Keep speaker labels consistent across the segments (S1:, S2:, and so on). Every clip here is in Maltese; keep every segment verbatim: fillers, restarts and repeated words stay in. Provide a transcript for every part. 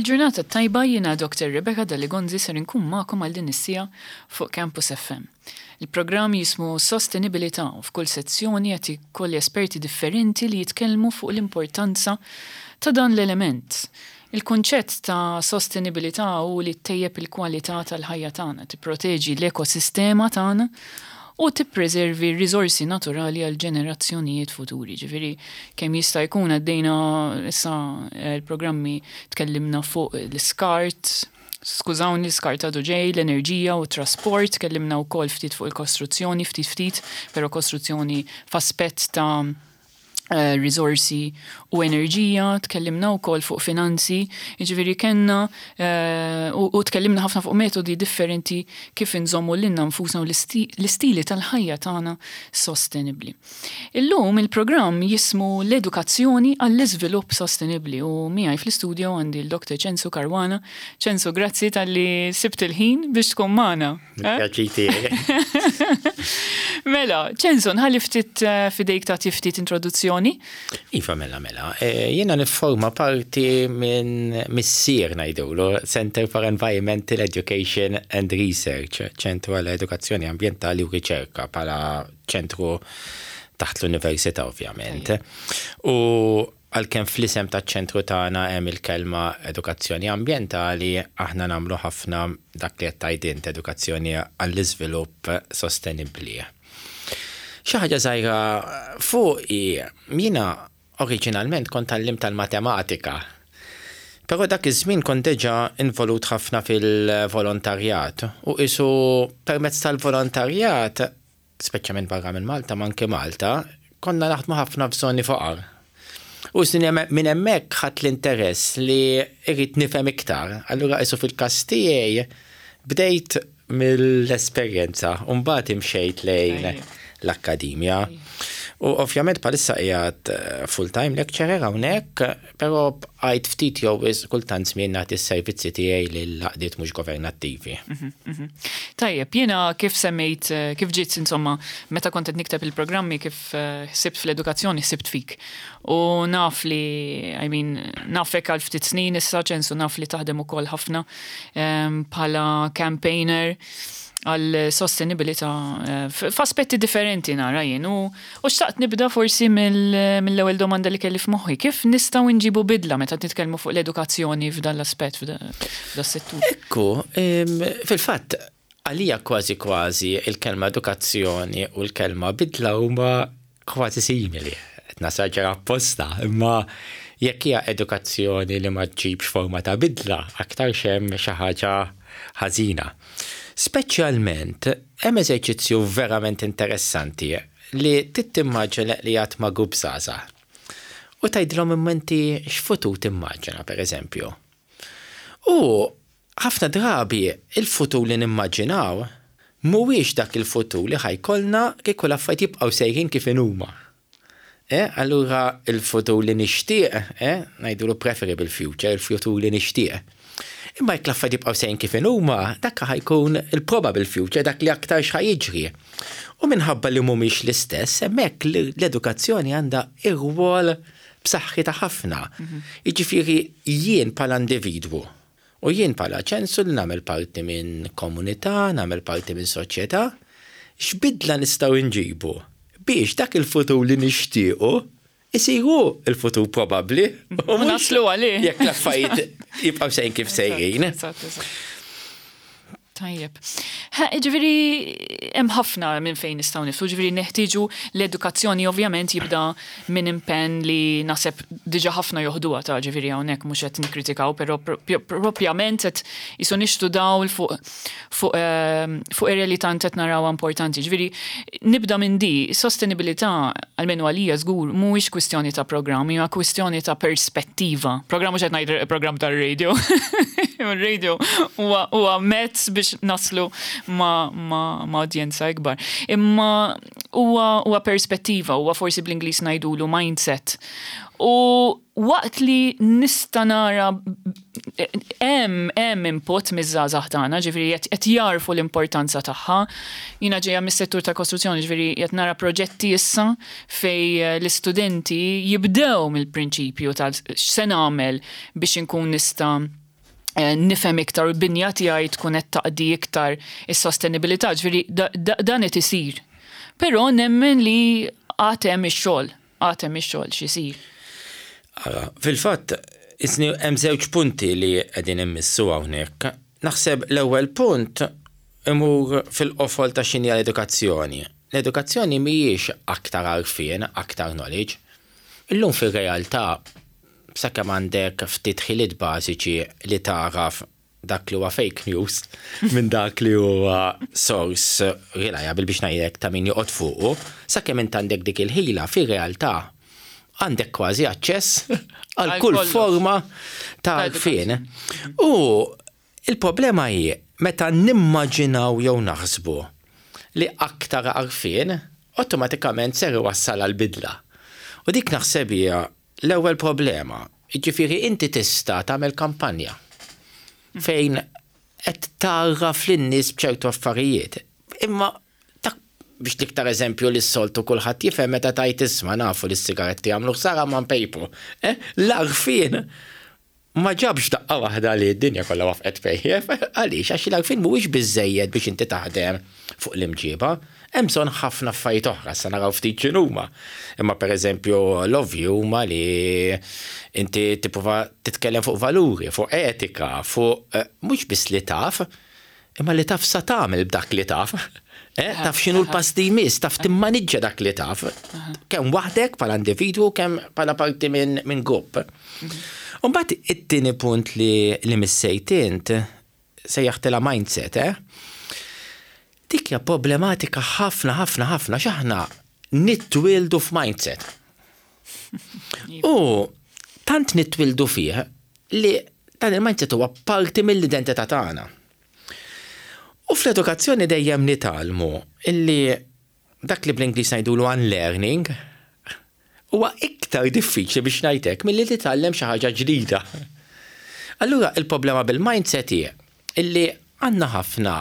S1: Il-ġurnata tajba, jiena Doktor Rebecca Daligonzi, ser inkun magħkom għal din is-siegħa fuq Campus F M. Il-programm jismu Sostenibilità u f'kull sezzjoni qed ikolli esperti differenti li jitkellmu fuq l-importanza ta' dan l-element. Il-kunċett ta' sostenibilità u li ttejjeb il-kwalità tal-ħajja tagħna, tipproteġi l-ekosistema tagħna u tippreservi r-riżorsi naturali għal ġenerazzjonijiet futuri. Ġifieri kemm jista' jkun għaddejna issa l-programmi, tkellimna fuq l-iskart, skużawni, l-iskart għadu ġej, l-enerġija u trasport, tkellimna wkoll ftit fuq il-kostruzzjoni, ftit ftit, però kostruzzjoni f'aspett ta' eh, risorsi u enerġija, tkellimna wkoll fuq finanzi, jiġifieri kellna eh, u, u tkellimna ħafna fuq metodi differenti kif inżommu lilna nfusna u l-istili tal-ħajja tagħna sostenibbli. Illum il-programm jismu l-edukazzjoni għall-iżvilupp sostenibbli u miegħi fl-istudio għandi l-Doktor Ċensu Caruana. Ċensu, grazzi talli sibt il-ħin biex tkun magħna. Eh? Mela, Ċensu, nħalli ftit eh, fidejk ta' ftit introduzzjoni.
S2: Iva, mela, mela. E, jiena nifforma parti minn missier ngħidulu, Center for Environmental Education and Research, ċentru għall edukazzjoni ambientali u riċerka, bħala ċentru taħt l-università, ovvjament. U għalkemm fl-isem ta' ċentru tagħna hemm il-kelma edukazzjoni ambientali, aħna nagħmlu ħafna dak li qed tgħid, edukazzjoni għall-iżvilupp sostenibbli. Xi ħaġa żgħira fuq, jiena oriġinalment kont għalliem tal-matematika. Però dak iż-żmien kont diġà involut ħafna fil-volontarjat u isu permezz tal-volontarjat, speċjalment barra minn Malta, ma anke Malta, konna naħdmu ħafna f'żoni foqar. U minn hemmhekk ħadt l-interess li irrid nifhem iktar. Allura isu fil-każ tiegħi bdejt mill-esperjenza u mbagħad imxejt lejn l-akkademja. U ovvjament bħalissa qiegħed eh, full-time lecturer hawnhekk, però bqajt ftit jew kultant żmien nagħti s-servizzi tiegħi lil għaqdiet mhux governattivi.
S1: Mhm, mhm. Tajjeb, jiena kif semmejt, eh, kif ġiet, insomma, meta kont qed nikteb il-programmi, kif eh, sibt fl-edukazzjoni, sibt fik. U naf li, I mean, nafek għal ftit snin issa, Ċensu, naf li taħdem ukoll ħafna ehm, bħala campaigner għal sostenibilità eh, f'aspetti differenti nara jien. U xtaqt nibda forsi mill-ewwel domanda li kelli f'moħħi. Kif nistgħu nġibu bidla meta nitkellmu fuq l-edukazzjoni f'dan l-aspett, f'dan settur?
S2: Ekku, fil-fatt, għalija kważi kważi il-kelma edukazzjoni u l-kelma bidla huma kważi simili. Nesaġera apposta, imma jekk hija edukazzjoni li ma ġġibx forma ta' bidla, aktar hemm xi ħaġa ħażina. Speċjalment, hemm eżerċizzju verament interessanti li tittimmaġina li qiegħed ma' grupp żgħażagħ. U tgħidilhom, inti x'futur timmaġina, per eżempju? U ħafna drabi il-futur li nimmaġinaw mhuwiex dak il-futur li ħa jkollna kieku l-affarijiet jibqgħu sejrin kif huma. Eh, allura il-futur li nixtieq, eh, ngħidulu preferable future, il-futur li nixtieq. Imma jekk l-affarijiet jibqgħu sejrin kif huma, dak ħa jkun il-probable future, dak li aktar x'ħa jiġri. U minħabba li mhumiex l-istess, hemmhekk l-edukazzjoni għandha ir-rwol b'saħħitha ħafna. Mhm. Jiġifieri jien bħala individwu u jien bħala Ċensu li nagħmel parti minn komunità, nagħmel parti minn soċjetà, x'bidla nistgħu nġibu biex dak il-futur li nixtiequ isiru il-futur probabbli?
S1: U naslu għalih.
S2: Jekk l-affarijiet jibqgħu sejrin kif sejrin.
S1: Tajjeb. Ġifieri, hemm ħafna minn fejn nistgħu niftu, ġifieri neħtieġu l-edukazzjoni, ovvjament jibda minn impenn li naħseb diġà ħafna joħduha ta' ġifieri hawnhekk mhux qed nikkritikaw, però propjament qed jisu nixtu dawl fuq fuq ehm, fuq area li tant qed narawha importanti. Ġifieri nibda minn di, sostenibilità almenu għalija żgur mhuwiex kwistjoni ta' programm, hija kwistjoni ta' perspettiva. Programm, mhux qed ngħid programm tar-radio. Il-radio huwa mezz biex naslu ma, ma, ma udjenza ikbar. Imma huwa huwa perspettiva, huwa forsi bl-Ingliż ngħidulu mindset. U waqt li nista' nara hemm hemm input miż-żgħażagħ tagħna, ġifieri qed jarfu l-importanza tagħha. Jiena ġejja mis-settur ta' kostruzzjoni, ġifieri qed nara proġetti issa fej l-istudenti jibdew mill-prinċipju tal x'se nagħmel biex inkun nista' eh, nifhem iktar u l-binja tiegħi tkun qed taqdi iktar is-sostenibilità, ġifieri dan qed isir. Però nemmen li għad hemm ix-xogħol, għad hemm ix-xogħol x'isir.
S2: Fil-fatt, isni hemm żewġ punti li qegħdin immissu hawnhekk. Naħseb l-ewwel punt imur fil-qofol ta' x'inhi l-edukazzjoni. L-edukazzjoni mhijiex aktar għarfien, aktar knowledge. Illum fil-realtà, sakemm għandek ftit ħiliet bażiċi li tagħraf dak li huwa fake news minn dak li huwa source reliable, biex ngħidlek, ta' min joqgħod fuqu, sakemm int għandek dik il-ħila, fir-realtà għandek kważi aċċess għal kull forma ta' għarfien. U il-problema hi meta nimmaġinaw jew naħsbu li aktar għarfien automatikament ser iwassal għal bidla. U dik naħseb hija l-ewwel problema. Jiġifieri inti tista' tagħmel kampanja fejn qed tgħarraf lin-nies b'ċertu affarijiet. Imma tak biex l-iktar eżempju li s-soltu kulħadd jifhem, meta tgħid, "Isma', nafu li s-sigaretti jagħmlu ħsara, ma npejpu." Eh? L-għarfien ma ġabx daqqa waħda li d-dinja kollha waqfet tpejjep. Għaliex? Għax l-għarfien mhuwiex biżejjed biex inti taħdem fuq l-imġiba. Hemm bżonn ħafna affarijiet oħra, sa naraw ftit x'inhuma. Imma pereżempju l-ovvju huma li inti tipprova titkellem fuq valuri, fuq etika, fuq eh, mhux biss li taf, imma li taf sa tagħmel b'dak li taf. Eh, taf x'inhu l-pass li jmiss, taf timmaniġġa dak li taf. Kemm waħdek bħala individwu, kemm bħala parti minn min grupp. Umbagħad it-tieni punt li, li missejt int, sejjaħtilha mindset, eh? Dik hija problematika ħafna ħafna ħafna, x'aħna nitwildu f'mindset. U tant nitwildu fih li dan il-mindset huwa parti mill-identità tagħna. U fl-edukazzjoni dejjem nitgħallmu illi dak li bl-Ingliż ngħidulu unlearning huwa iktar diffiċli, biex ngħidlek, milli titgħallem xi ħaġa ġdida. Allura il-problema bil-mindset hi illi għandna ħafna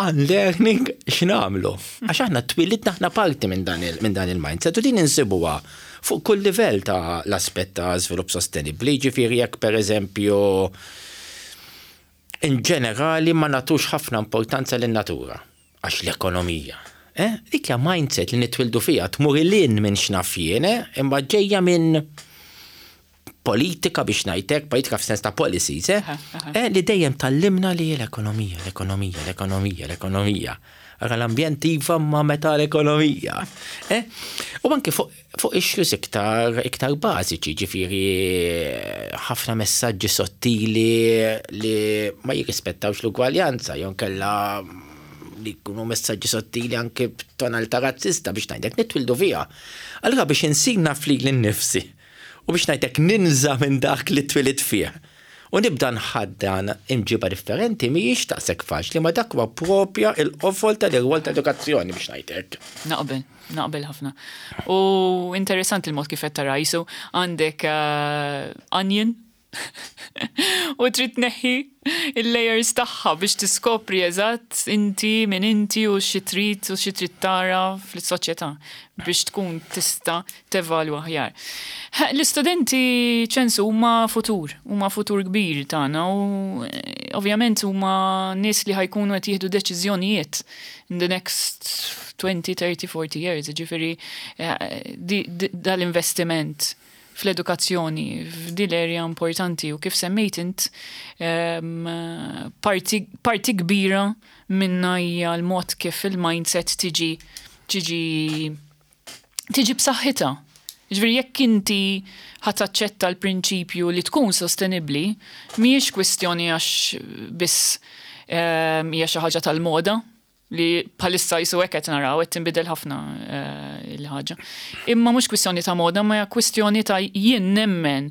S2: unlearning x'nagħmlu. Għax aħna twilidna, aħna parti minn dan il-mindset u din insibuha fuq kull livell ta' l-aspett ta' żvilupp sostenibbli, ġifieri jekk pereżempju in ġenerali ma nagħtux ħafna importanza lin-natura għax l-ekonomija. Eh? Dik hija mindset li nitwildu fiha, tmur lil hinn minn x'naf jien, eh? Imma ġejja minn politika, biex ngħidlek, politika f'sens ta' policies, eh? eh? li dejjem tgħallimna li l-ekonomija, l-ekonomija, l-ekonomija, l-ekonomija. Ara l-ambjent iva, ma meta l-ekonomija. Eh? U anke fuq fu issues iktar, iktar bażiċi, ġifieri ħafna messaġġi sottili li ma jirrispettawx l-ugwaljanza, jew inkella li jkunu messaġġi sottili anke b'tonalità razzista, biex ngħidlek, nitwildu fiha. Allura biex insir naf lili nnifsi u, biex ngħidlek, ninża' minn dak li twilidt fih u nibda nħaddan imġiba differenti, mhijiex daqshekk faċli, ma dak huwa propja il-qofol tal-irwol ta' edukazzjoni, biex ngħidlek.
S1: Naqbel, naqbel ħafna. U interessanti il-mod kif qed tara, jisu għandek uh, onion u trid tneħħi il-layers tagħha biex tiskopri eżatt inti min inti u xi trid u xi trid tara fis-soċjetà biex tkun tista' tevalwa aħjar. L-istudenti, ċensu, huma futur, huma futur kbir tagħna u eh, ovvjament huma nies li ħa jkunu qed jieħdu deċiżjonijiet in the next twenty, thirty, forty years, ġifieri eh, dal-investiment fl-edukazzjoni f'dil area importanti u kif semmejt int, parti, parti kbira minna hija l-mod kif il-mindset tiġi tiġi tiġi b'saħħitha. Ġifieri jekk inti ħa taċċetta l-prinċipju li tkun sostenibbli, mhijiex kwistjoni għax biss hija xi ħaġa tal-moda, li bħalissa jisu hekk qed naraw qed tinbidel ħafna eh, il-ħaġa. Imma mhux kwistjoni ta' moda, ma hija kwistjoni ta' jien nemmen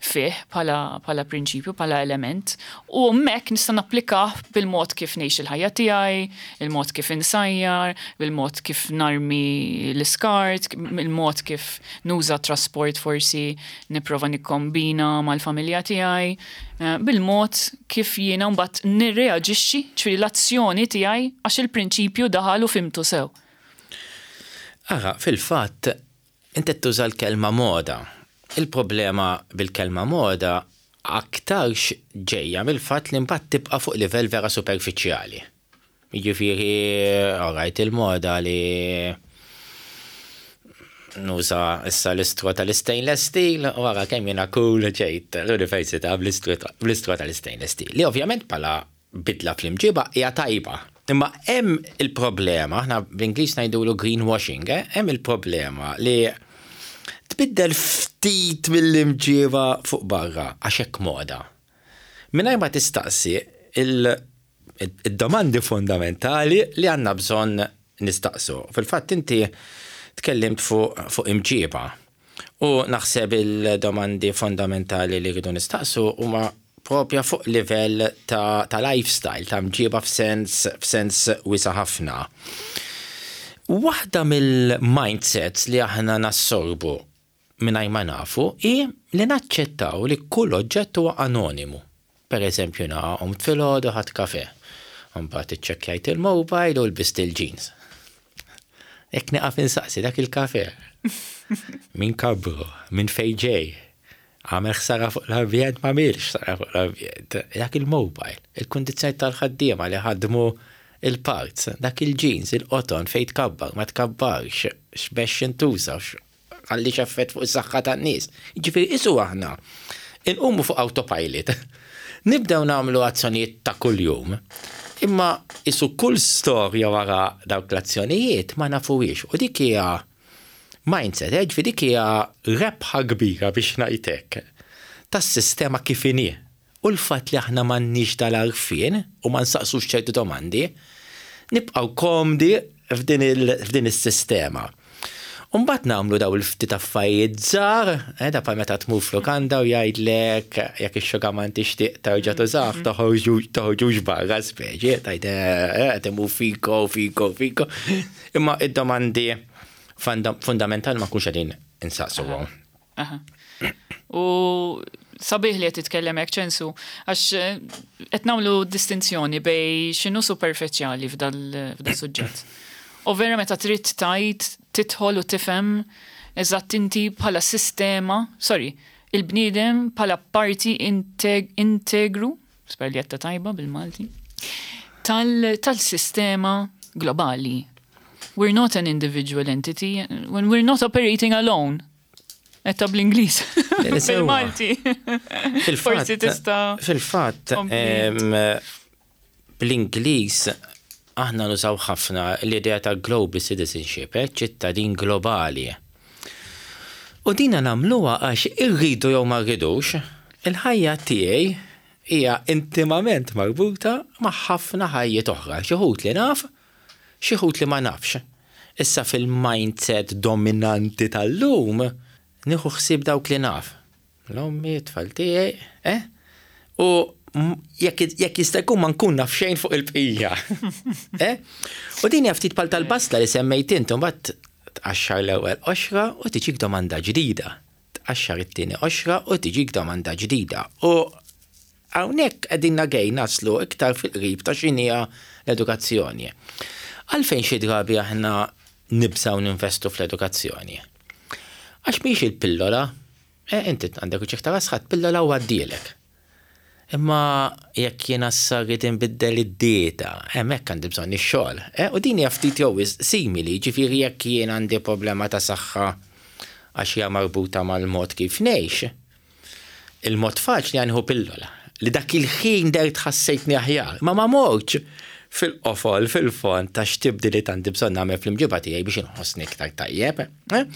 S1: fih bħala, bħala prinċipju, bħala element, u hemmhekk nista' napplikah bil-mod kif ngħix il-ħajja tiegħi, il-mod kif insajjar, bil-mod kif narmi l-iskart, il-mod kif nuża trasport, forsi nipprova nikkombina mal-familja tiegħi, eh, bil-mod kif jiena mbagħad nirreaġixxi, ġifieri l-azzjoni tiegħi, għax il-prinċipju daħal u fhimtu sew.
S2: Ara, fil-fatt, inti tuża l-kelma moda. Il-problema bil-kelma moda Aktarx ġejja mill-fatt li mbagħad tibqa' fuq livell vera superfiċjali. Jiġifieri, alright, il-moda li nuża issa l-istraw tal-stainless steel, u wara kemm jiena cool ġejt l-università bl-istraw tal-stainless steel. Li ovvjament bħala bidla fl-imġiba hija tajba. Imma hemm il-problema, aħna bl-Ingliż ngħidulu greenwashing, eh? Hemm il-problema li tbiddel ftit mill-imġiba fuq barra għax hekk moda. Mingħajr ma tistaqsi il-domandi fundamentali li għandna bżonn nistaqsu. Fil-fatt inti tkellimt fuq fu imġiba. U naħseb il-domandi fondamentali li rridu nistaqsu huma propja fuq livell ta', ta lifestyle, ta' mġiba f'sens, f'sens wiesa' ħafna. Waħda mill-mindsets li aħna nassorbu mingħajr ma nafu hi li naċċettaw li kull oġġett huwa anonimu. Per eżempju, qomt filgħodu, ħadt kafè. Mbagħad iċċekkjajt il-mobile u lbist il-jeans. Jekk nieqaf insaqsi dak il-kafè. Min kabbru, minn fejn ġej, għamel ħsara fuq l-ambjent, ma għamilx ħsara fuq l-ambjent. Dak il-mobile, il-kundizzjoni tal-ħaddiema li ħadmu il-parts, dak il-jeans, il-qoton fejn tkabbar, ma tkabbarx, x'biex intuża, ħalli effett fuq is-saħħa tan-nies. Jiġifieri qisu aħna inqumu fuq autopilot. Nibdew nagħmlu azzjonijiet ta' kuljum. Imma qisu kull storja wara dawk l-azzjonijiet ma nafuhiex. U dik hija mindset, eh, ġifieri dik hija rebħa kbira, biex ngħidlek, tas-sistema kif inhi. U l-fatt li aħna m'għandniex dal-għarfien u ma nsaqsux ċertu domandi, nibqgħu komdi f'din is-sistema. Umbagħad nagħmlu daw il-ftit affarijiet żgħar, eh, da bħal meta tmur f'lukanda u jgħidlek jekk ix-xugaman tixtieq terġa' tużah, toħorġux barra speċi, tgħid eh, qed imur fiko, fiko, fiko. Imma id-domandi fundamentali ma nkunux qegħdin insaqsuhom.
S1: U sabiħ li qed titkellem hekk, Ċensu, għax eh, qed nagħmlu distinzjoni bejn x'inhu superfiċjali f'dal suġġett. U vera meta trid tajt tidħol u tifhem eżatt inti bħala sistema, sorry, il-bniedem bħala parti integru, spera li għedtha tajba bil-Malti, tal-sistema globali. We're not an individual entity when we're not operating alone. Għedtha bl-Ingliż. Bil-Malti.
S2: Forsi tista'. Fil-fatt, bl-Ingliż aħna nużaw ħafna l-idea ta' global citizenship, eh, ċittadin globali. U dina nagħmluha għax irridu jew ma rridux, il-ħajja tiegħi hija intimament marbuta ma' ħafna ħajjiet oħra, xi wħud li naf, xi wħud li ma nafx. Issa fil-mindset dominanti tal-lum, nieħu ħsieb dawk li naf. L-ommi, tfal tiegħi, eh? U jekk jista' jkun ma nkun naf xejn fuq il-bqija. Eh? U din hija ftit bħal tal-basla li semmejt int, mbagħad tqaxxar l-ewwel qoxra u tiġik domanda ġdida. Tqaxxar it-tieni qoxra u tiġik domanda ġdida. U hawnhekk qegħdin nagej naslu iktar fil-qrib ta' x'inhija l-edukazzjoni. Għalfejn xi drabi aħna nibżgħu ninvestu fl-edukazzjoni? Għax mhix il-pillola, eh, inti għandek uġigħ ta' ras, pillola u għaddielek. Imma jekk jiena rrid inbiddel id-dieta, hemmhekk għandi bżonn ix-xogħol. Eh, u din hija ftit jew simili, ġifieri jekk jien għandi problema ta' saħħa għax hija marbuta mal-mod kif ngħix, il-mod faċli għanħu pillola li dak il-ħin dert ħassejtni aħjar, ma ma mortx fil-qofol, fil-fond ta' x'tibdiliet għandi bżonn nagħmel fl-imġiba tiegħi biex inħossni iktar tajjeb. Eh?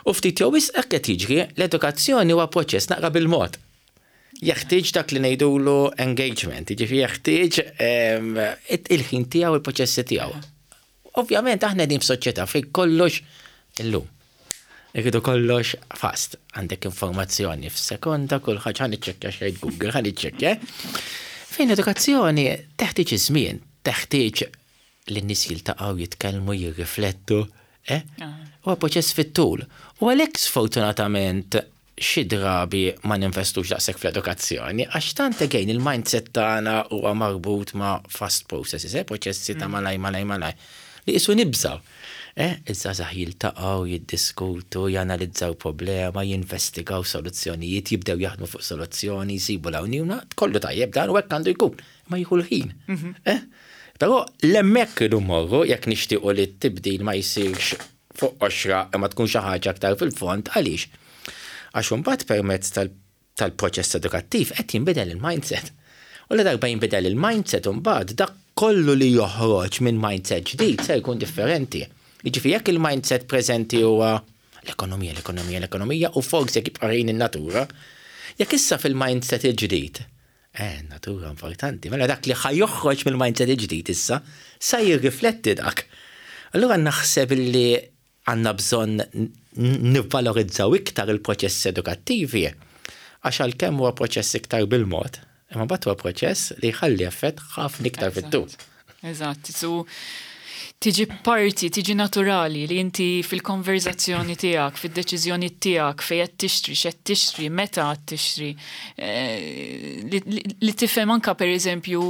S2: U ftit jew wisq hekk qed jiġri, l-edukazzjoni huwa proċess naqra bil-mod. Jeħtieġ dak li ngħidulu engagement, jiġifieri jeħtieġ il-ħin tiegħu, il-proċessi tiegħu. Ovvjament aħna qegħdin f'soċjetà fejn kollox illum. Irridu kollox fast. Għandek informazzjoni f'sekonda, kull ħaġa, ħa niċċekkja xejn Google, ħa niċċekkja. Fejn edukazzjoni teħtieġ iż-żmien, teħtieġ li n-nies jiltaqgħu, jitkellmu, jirriflettu, eh? Huwa proċess fit-tul. U għalhekk sfortunatament xi drabi ma ninvestux daqshekk fl-edukazzjoni, għax tant again il-mindset tagħna huwa marbut ma' fast processes, eh? Proċessi ta' malaj, malaj, malaj. Li qisu nibżgħu. Eh, iż-żgħażagħ jiltaqgħu, jiddiskutu, janalizzaw problema, jinvestigaw soluzzjonijiet, jibdew jaħdmu fuq soluzzjoni, jsibu l-għajnuna, kollu tajjeb dan u hekk għandu jkun, ma jieħu l-ħin. Mhm. Eh? Però hemmhekk irridu mmorru jekk nixtiequ li t-tibdil ma jsirx fuq qoxra imma tkun xi ħaġa aktar fil-fond. Għaliex? Għax imbagħad permezz tal-proċess edukattiv qed jinbidel il-mindset. U la darba jinbidel il-mindset, imbagħad dak kollu li joħroġ minn mindset ġdid se jkun differenti. Jiġifieri jekk il-mindset preżenti huwa l-ekonomija, l-ekonomija, l-ekonomija u forsi jekk jibqa' in-natura, jekk issa fil-mindset il-ġdid, eh, natura importanti, mela dak li ħa joħroġ mill-mindset il-ġdid issa sa jirrifletti dak. Allura naħseb li għandna bżonn nivvalorizzaw iktar il-proċess edukattivi, għax għalkemm huwa proċess iktar bil-mod, imma mbagħad huwa proċess li jħalli effett ħafna iktar fit-tul.
S1: Eżatt, so tiġi parti, tiġi naturali li inti fil-konverzazzjoni tiegħek, fil-deċiżjoni tiegħek, fejn qed tixtri, x'qed tixtri, meta qed tixtri, eh, li tifhem anka, pereżempju,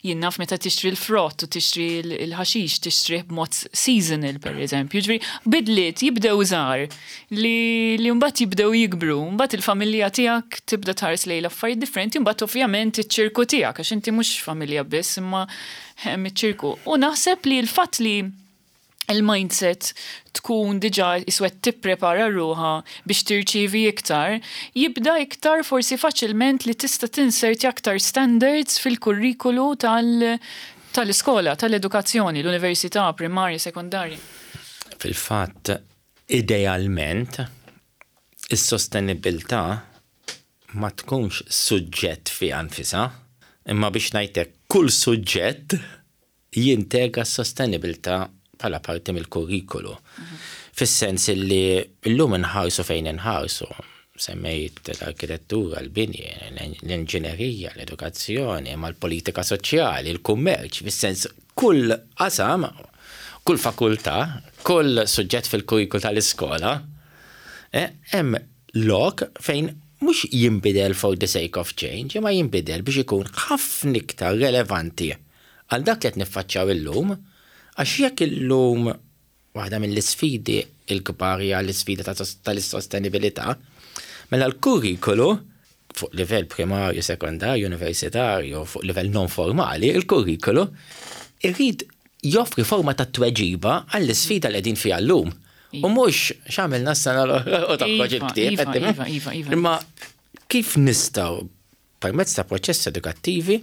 S1: jien naf, meta tixtri l-frott u tixtri l-ħaxix, tixtri b'mod seasonal, pereżempju. Ġifieri bidliet jibdew żgħar li li mbagħad jibdew jikbru, mbagħad il-familja tiegħek tibda tħares lejn l-affarijiet differenti, mbagħad ovvjament iċ-ċirku tiegħek, għax inti mhux familja biss, imma hemm iċ-ċirku. U naħseb li l-fatt li il-mindset tkun diġà iswed tipprepara ruħha biex tirċivi iktar, jibda iktar forsi faċilment li tista' tinserti aktar standards fil-kurrikulu tal- tal-iskola, tal-edukazzjoni, l-università, primarja, sekondarja.
S2: Fil-fatt, idealment, is-sostenibilità ma tkunx suġġett fiha nfisha, imma biex ngħidlek kull suġġett jintegra s-sostenibilità bħala parti mill-kurrikulu. Fis-sens li llum inħarsu fejn inħarsu, semmejt l-arkitettura, l-bini, l-inġinerija, l-edukazzjoni, ma l-politika soċjali, il-kummerċ, fis-sens kull qasam, kull fakultà, kull suġġett fil-kurrikulu tal-iskola, eh, hemm lok fejn mhux jinbidel for the sake of change, imma jinbidel biex ikun ħafna iktar relevanti għal dak li qed niffaċċjaw illum, għax jekk illum waħda mill-isfidi il-kbar hija l-isfida tal-sostenibilità, mela l-kurrikulu fuq livell primarju, sekondarju, universitarju, fuq livell non formali, il-kurrikulu irrid joffri forma ta' tweġiba għall-isfida li qegħdin fiha llum. U mhux x'għamilna s-sena u toħroġ
S1: Iva,
S2: il-ktieb.
S1: Iva,
S2: qed
S1: iva, iva, iva.
S2: Imma kif nistgħu permezz ta' proċess edukattivi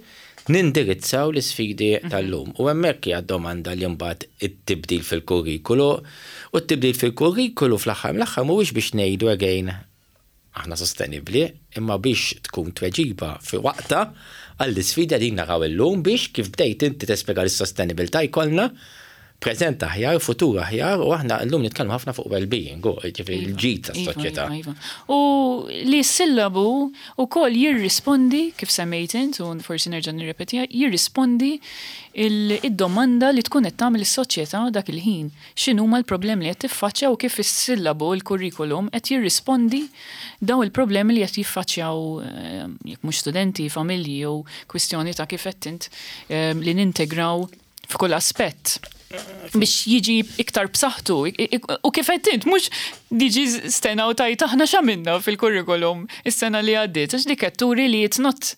S2: nindirizzaw l-isfidi tal-lum? U hemmhekk hija domanda li mbagħad it-tibdil fil-kurrikulu, u t-tibdil fil-kurrikulu fl-aħħar mill-aħħar mhuwiex biex ngħidu again aħna sostenibbli, imma biex tkun tweġiba fi waqta għall-isfida li naraw illum biex, kif bdejt inti tespjega, l-sostenibilità jkollna preżent aħjar, futur aħjar, u aħna llum nitkellmu ħafna fuq well-being, u ġifieri l-ġid
S1: Iva,
S2: tas-soċjetà.
S1: Iva, iva. U li s-sillabu ukoll jirrispondi, kif semmejt int, u forsi nerġa' nirrepetiha, jirrispondi il- id-domanda li tkun qed tagħmel is-soċjetà dak il-ħin. X'inhuma l-problemi li qed tiffaċċja u kif is-sillabu, il-kurrikulum qed jirrispondi daw il-problemi li qed jiffaċċjaw, eh, jekk mhux studenti, familji jew kwistjoni ta' kif qed int eh, li nintegraw f'kull aspett biex jiġi iktar b'saħħtu. U kif qed int, mhux diġi stena u tajt aħna x'għamilna fil-kurrikulum is-sena li għaddiet, għax dik qed turi li it's not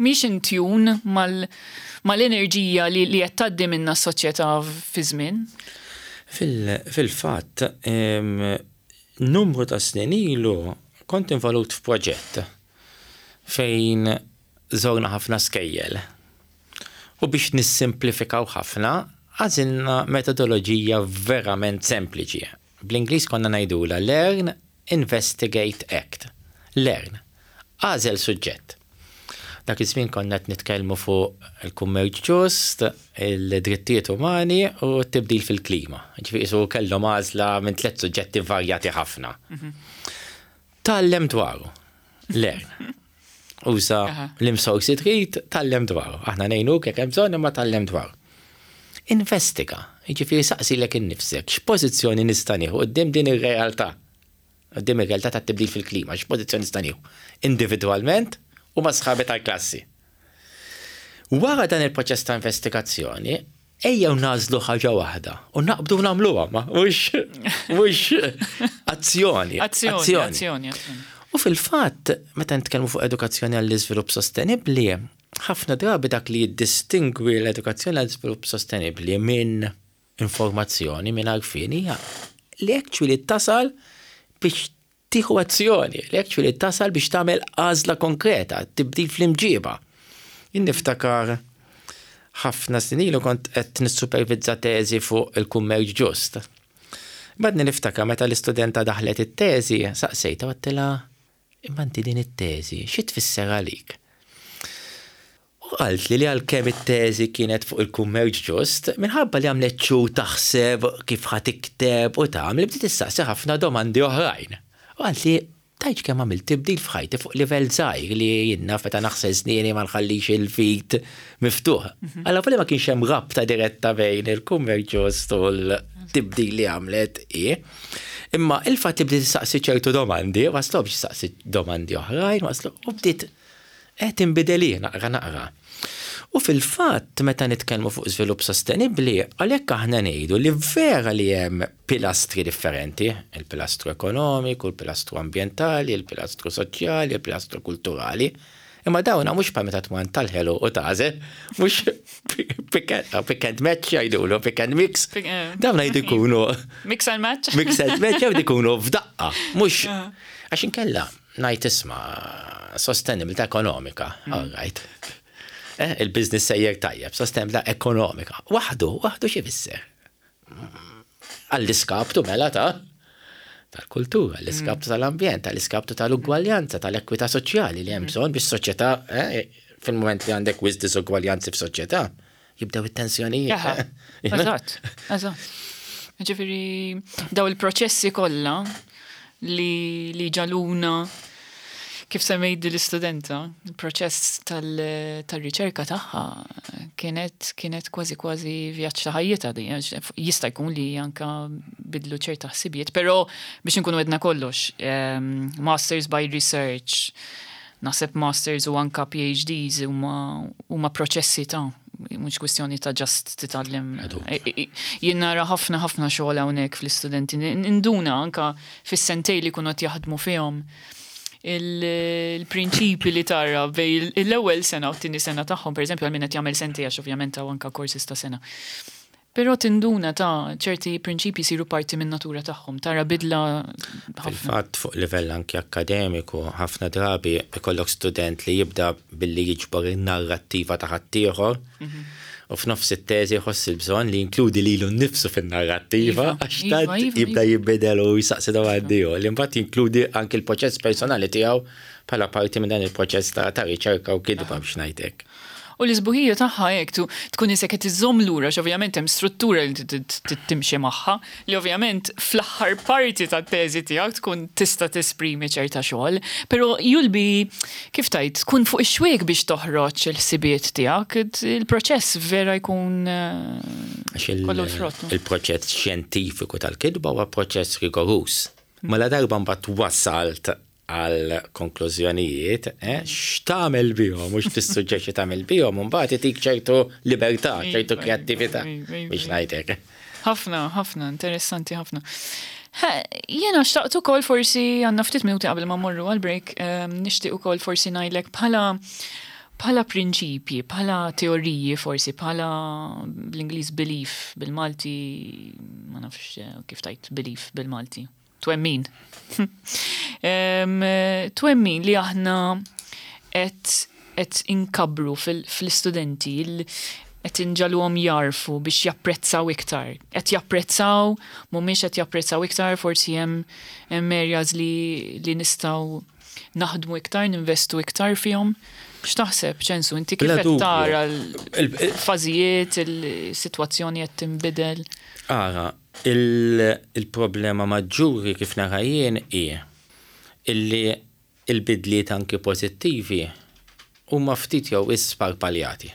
S1: mhix in tune mal mal-enerġija li li qed tgħaddi minna s-soċjetà fi żmien.
S2: Fil- Fil-fatt, em, numru ta' snin ilu kont involut f'proġett fejn żorna ħafna skejjel. U biex nissimplifikaw ħafna, għażilna metodoloġija verament sempliċi. Bl-Ingliż konna ngħidula learn, investigate, act. Learn. Għażel suġġett. Dak iż-żmien konna qed nitkellmu fuq il-kummerċ ġust, il-drittijiet umani u t-tibdil fil-klima. Ġifieri qisu kellhom għażla minn tliet suġġetti varjati ħafna. Tgħallem dwaru. Learn. Uża
S1: Aha.
S2: l-imsorsi trid, tgħallem dwaru. Aħna ngħinuk jekk hemm bżonn, imma tgħallem dwaru. Investiga, jiġifieri saqsilek innifsek, x'pożizzjoni nista' nieħu quddiem din ir-realtà? Quddiem ir-realtà tat-tibdil fil-klima, x'pożizzjoni nista' nieħu? Individwalment u ma' sħabi tal-klassi. Wara dan il-proċess ta' investigazzjoni, Ejjew nagħżlu ħaġa waħda u naqbdu nagħmluha, ma mhux mhux azzjoni.
S1: Azzjoni, azzjoni.
S2: U fil-fatt, meta nitkellmu fuq edukazzjoni għall-iżvilupp sostenibbli, ħafna drabi dak li jiddistingwi l-edukazzjoni għall-iżvilupp sostenibbli minn informazzjoni, minn għarfien, hija li actually tasal biex tieħu azzjoni, li actually tasal biex tagħmel għażla konkreta, tibdil fl-imġiba. Jien niftakar ħafna snin ilu kont qed nissupervizza teżi fuq il-kummerċ ġust. Badni niftakar meta l-istudenta daħlet it-teżi, saqsejta, għedtilha, "Imma inti din it-teżi, xi tfisser għalik?" U qalt li li għalkemm it-teżi kienet fuq il-kummerċ ġust, minħabba li għamlet xu taħseb kif ħa tikteb u tagħmel, bdiet issaqsi ħafna domandi oħrajn. U qalt li tgħidx kemm għamilt tibdil f'ħajti fuq livell żgħir li jiena meta naħsel snieni ma nħallix il-vit miftuħ. Alla li ma kienx hemm rabta diretta bejn il-kummerċ ġust u l-tibdil li għamlet i. Imma il-fatt li bdiet tistaqsi ċertu domandi, waslu biex tistaqsi domandi oħrajn, waslu u bdiet qed tinbidel naqra naqra. U fil-fatt, meta nitkellmu fuq żvilupp sostenibbli, għalhekk aħna ngħidu li vera li hemm pilastri differenti, il-pilastru ekonomiku, il-pilastru ambjentali, il-pilastru soċjali, il-pilastru kulturali. Imma dawna mhux bħal meta tmur tal-ħelu u tagħżel, mhux pick and match jgħidulu, pick and mix.
S1: Eh.
S2: Dawna jridu jkunu
S1: Mix and match.
S2: Mix and match jgħidu jkunu f'daqqa, mhux għax inkella ngħid, isma', sostenibilità ekonomika, all right. Eh, il-business sejjer tajjeb, sostenibilità ekonomika. Waħdu, waħdu xi jfisser? Għall-iskaptu mela ta' tal-kultura, għall-iskaptu tal-ambjent, għall-iskaptu tal-ugwaljanza, tal-ekwità soċjali li hemm bżonn biex soċjetà, eh, fil-moment li għandek wisq diżugwaljanzi f'soċjetà, jibdew it-tensjonijiet.
S1: Eżatt, eżatt. Ġifieri, daw il-proċessi kollha li, li ġaluna kif semmejt l-istudenta, il-proċess tal-riċerka tagħha kienet kienet kważi kważi vjaġġ ta' ħajjitha di, jista' jkun li anka bidlu ċerta ħsibijiet, però biex nkunu għedna kollox, um, masters by research, naħseb masters u anka P H Ds huma proċessi ta' mhux kwestjoni ta' just titgħallem. Jien nara ħafna ħafna xogħol hawnhekk fl-istudenti. Induna anka fis-sentej li kunu qed jaħdmu fihom il-prinċipi li tara bej l-ewwel sena u t-tieni sena tagħhom, pereżempju għal min qed jagħmel sentej, għax ovvjament hawn anka courses ta' sena. Però tinduna ta' ċerti prinċipi siru parti minn natura tagħhom, tara bidla.
S2: Fil-fatt, fuq livell anki akkademiku, ħafna drabi ikollok student li jibda billi jiġbor in-narrattiva ta' ħaddieħor mhm. u f'nofs it-teżi jħoss il-bżonn li jinkludi lilu nnifsu fin-narrattiva iva, għax iva, tant iva, jibda jibbidel u jisaqsi domandi u li mbagħad jinkludi anki l-proċess personali tiegħu bħala parti minn dan il-proċess ta' riċerka u kitba, biex ngħidlek.
S1: U l-isbuħija tagħha hekk tkun isek qed iżżomm lura, ovvjament hemm struttura li timxi magħha, li ovvjament fl-aħħar parti tat-teżi tiegħek tkun tista' tesprimi ċerta xogħol, però you'll be, kif tgħid, tkun fuq ix-xwiek biex toħroġ il-ħsibiet tiegħek, il-proċess vera jkun
S2: eh, kollu l-frott. Il-proċess xjentifiku tal-kitba huwa proċess rigorus. Mela darba mbagħad wasalt għal konklużjonijiet, eh, x'tagħmel bihom, mhux tissuġġerixxi tagħmel bihom, mbagħad itik ċertu libertà, ċertu kreattività, biex ngħidlek.
S1: Ħafna, ħafna, interessanti ħafna. Jena xtaqt ukoll forsi, għandna ftit minuti qabel ma morru għal-break, ehm, nixtieq ukoll forsi ngħidlek bħala bħala prinċipji, bħala teoriji forsi, bħala bl-Ingliż belief, bil-Malti, ma nafx eh, kif tgħid belief bil-Malti. Twemmin. Twemmin li aħna qed qed inkabbru fil-istudenti, qed inġagħluhom jarfu biex japprezzaw iktar. Qed japprezzaw, mhumiex qed japprezzaw iktar, forsi hemm hemm areas li, li nistgħu naħdmu iktar, ninvestu iktar fihom. X'taħseb, Ċensu, inti kif qed tara l-fażijiet, il-sitwazzjoni qed tinbidel?
S2: Ara, il-problema maġġuri kif nara jien hi illi il-bidliet anki pożittivi huma ftit jew isparpaljati.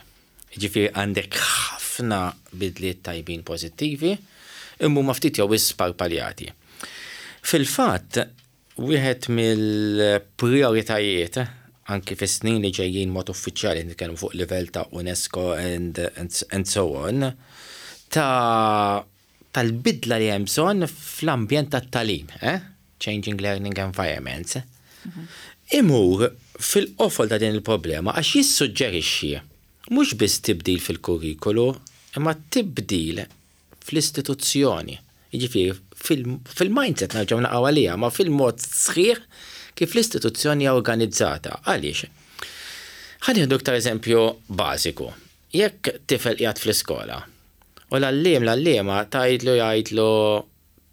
S2: Ġifieri għandek ħafna bidliet tajbin pożittivi, imma huma ftit jew isparpaljati. Fil-fatt, wieħed mill-prioritajiet anki fis-snin li ġejjin mod uffiċjali, nitkellmu fuq livell ta' UNESCO and, and, and so on, ta' tal-bidla li hemm bżonn fl-ambjent tat-tagħlim, eh? Changing learning environments. Imur fil-qofol ta' din il-problema għax jissuġġerixxi mhux biss tibdil fil-kurrikulu, imma tibdil fl-istituzzjoni. Jiġifieri fil-mindset nerġgħu naqgħu għalija, ma fil-mod sħiħ kif l-istituzzjoni hija organizzata. Għaliex? Ħa nieħdu iktar eżempju bażiku. Jekk tifel qiegħed fl-iskola u l-għalliem l-għalliema tgħidlu jgħidlu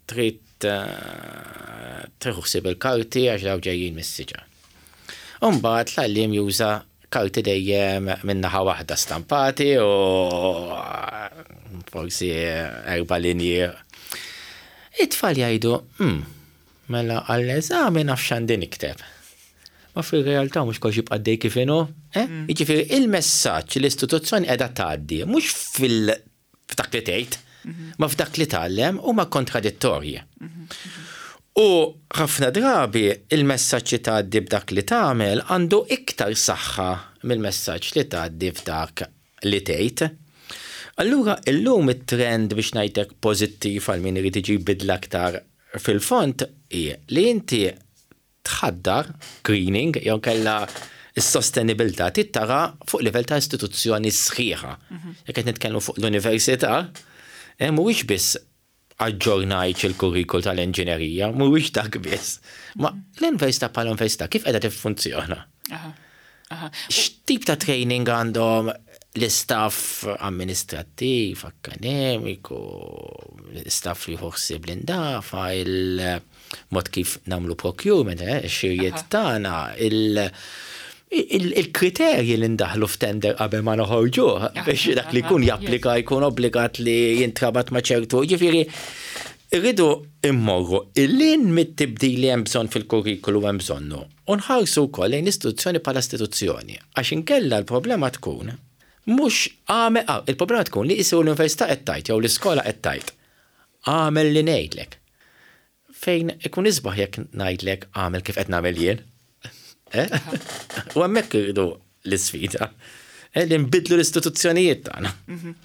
S2: trid eh, tieħu ħsieb il-karti għax daw ġejjin mis-siġar. Umbagħad l-għalliem juża karti dejjem minn naħa waħda stampati u forsi erba' linji. It-tfal jgħidu, hmm, mela għall-eżami naf x'għandi nikteb. Ma fil-realtà mhux kollox jibqa' dej kif inhu. Eh? Mm. Jiġifieri il-messaġġ l-istituzzjoni qiegħda tgħaddi mhux fil f'dak li tgħid, mhm. ma f'dak li tgħallem huma kontradittorji. Mhm. U ħafna drabi il-messaġġ li tgħaddi b'dak li tagħmel għandu iktar saħħa mill-messaġġ li tgħaddi f'dak li tgħid. Allura illum it-trend biex ngħidlek pożittiv għal min irid iġib bidla aktar fil-fond hi li inti tħaddar greening jew kella s-sostenibilità tittara fuq livell ta' istituzzjoni sħiħa. Mhm. Jekk qed nitkellmu fuq l-università, eh, mhuwiex biss aġġornajt il-kurrikul tal-inġinerija, mhuwiex dak biss. Ma l-università bħala università kif qiegħda tiffunzjona? X'tip ta' training għandhom l-istaff amministrattiv, akademiku, l-istaff li ħsieb l-indafa, il-mod kif nagħmlu procurement, eh, xirjiet tagħna, il-kriterji li ndaħlu f'tender qabel ma noħorġu biex dak li jkun japplika jkun obbligat li jintrabat ma' ċertu. Ġifieri, irridu immorru il-lin mit-tibdil li hemm bżonn fil-kurrikulu hemm bżonnu. U nħarsu wkoll lejn istituzzjoni bħala istituzzjoni. Għax inkella l-problema tkun mhux għamel, ah, il-problema tkun li jisiru l-università qed tgħid jew l-iskola qed tgħid. Għamel li ngħidlek. Fejn ikun isbaħ jekk ngħidlek għamel kif qed nagħmel jien. Eh? U hemmhekk irridu l-isfida. Eh, li nbidlu l-istituzzjonijiet tagħna.
S1: Mhm.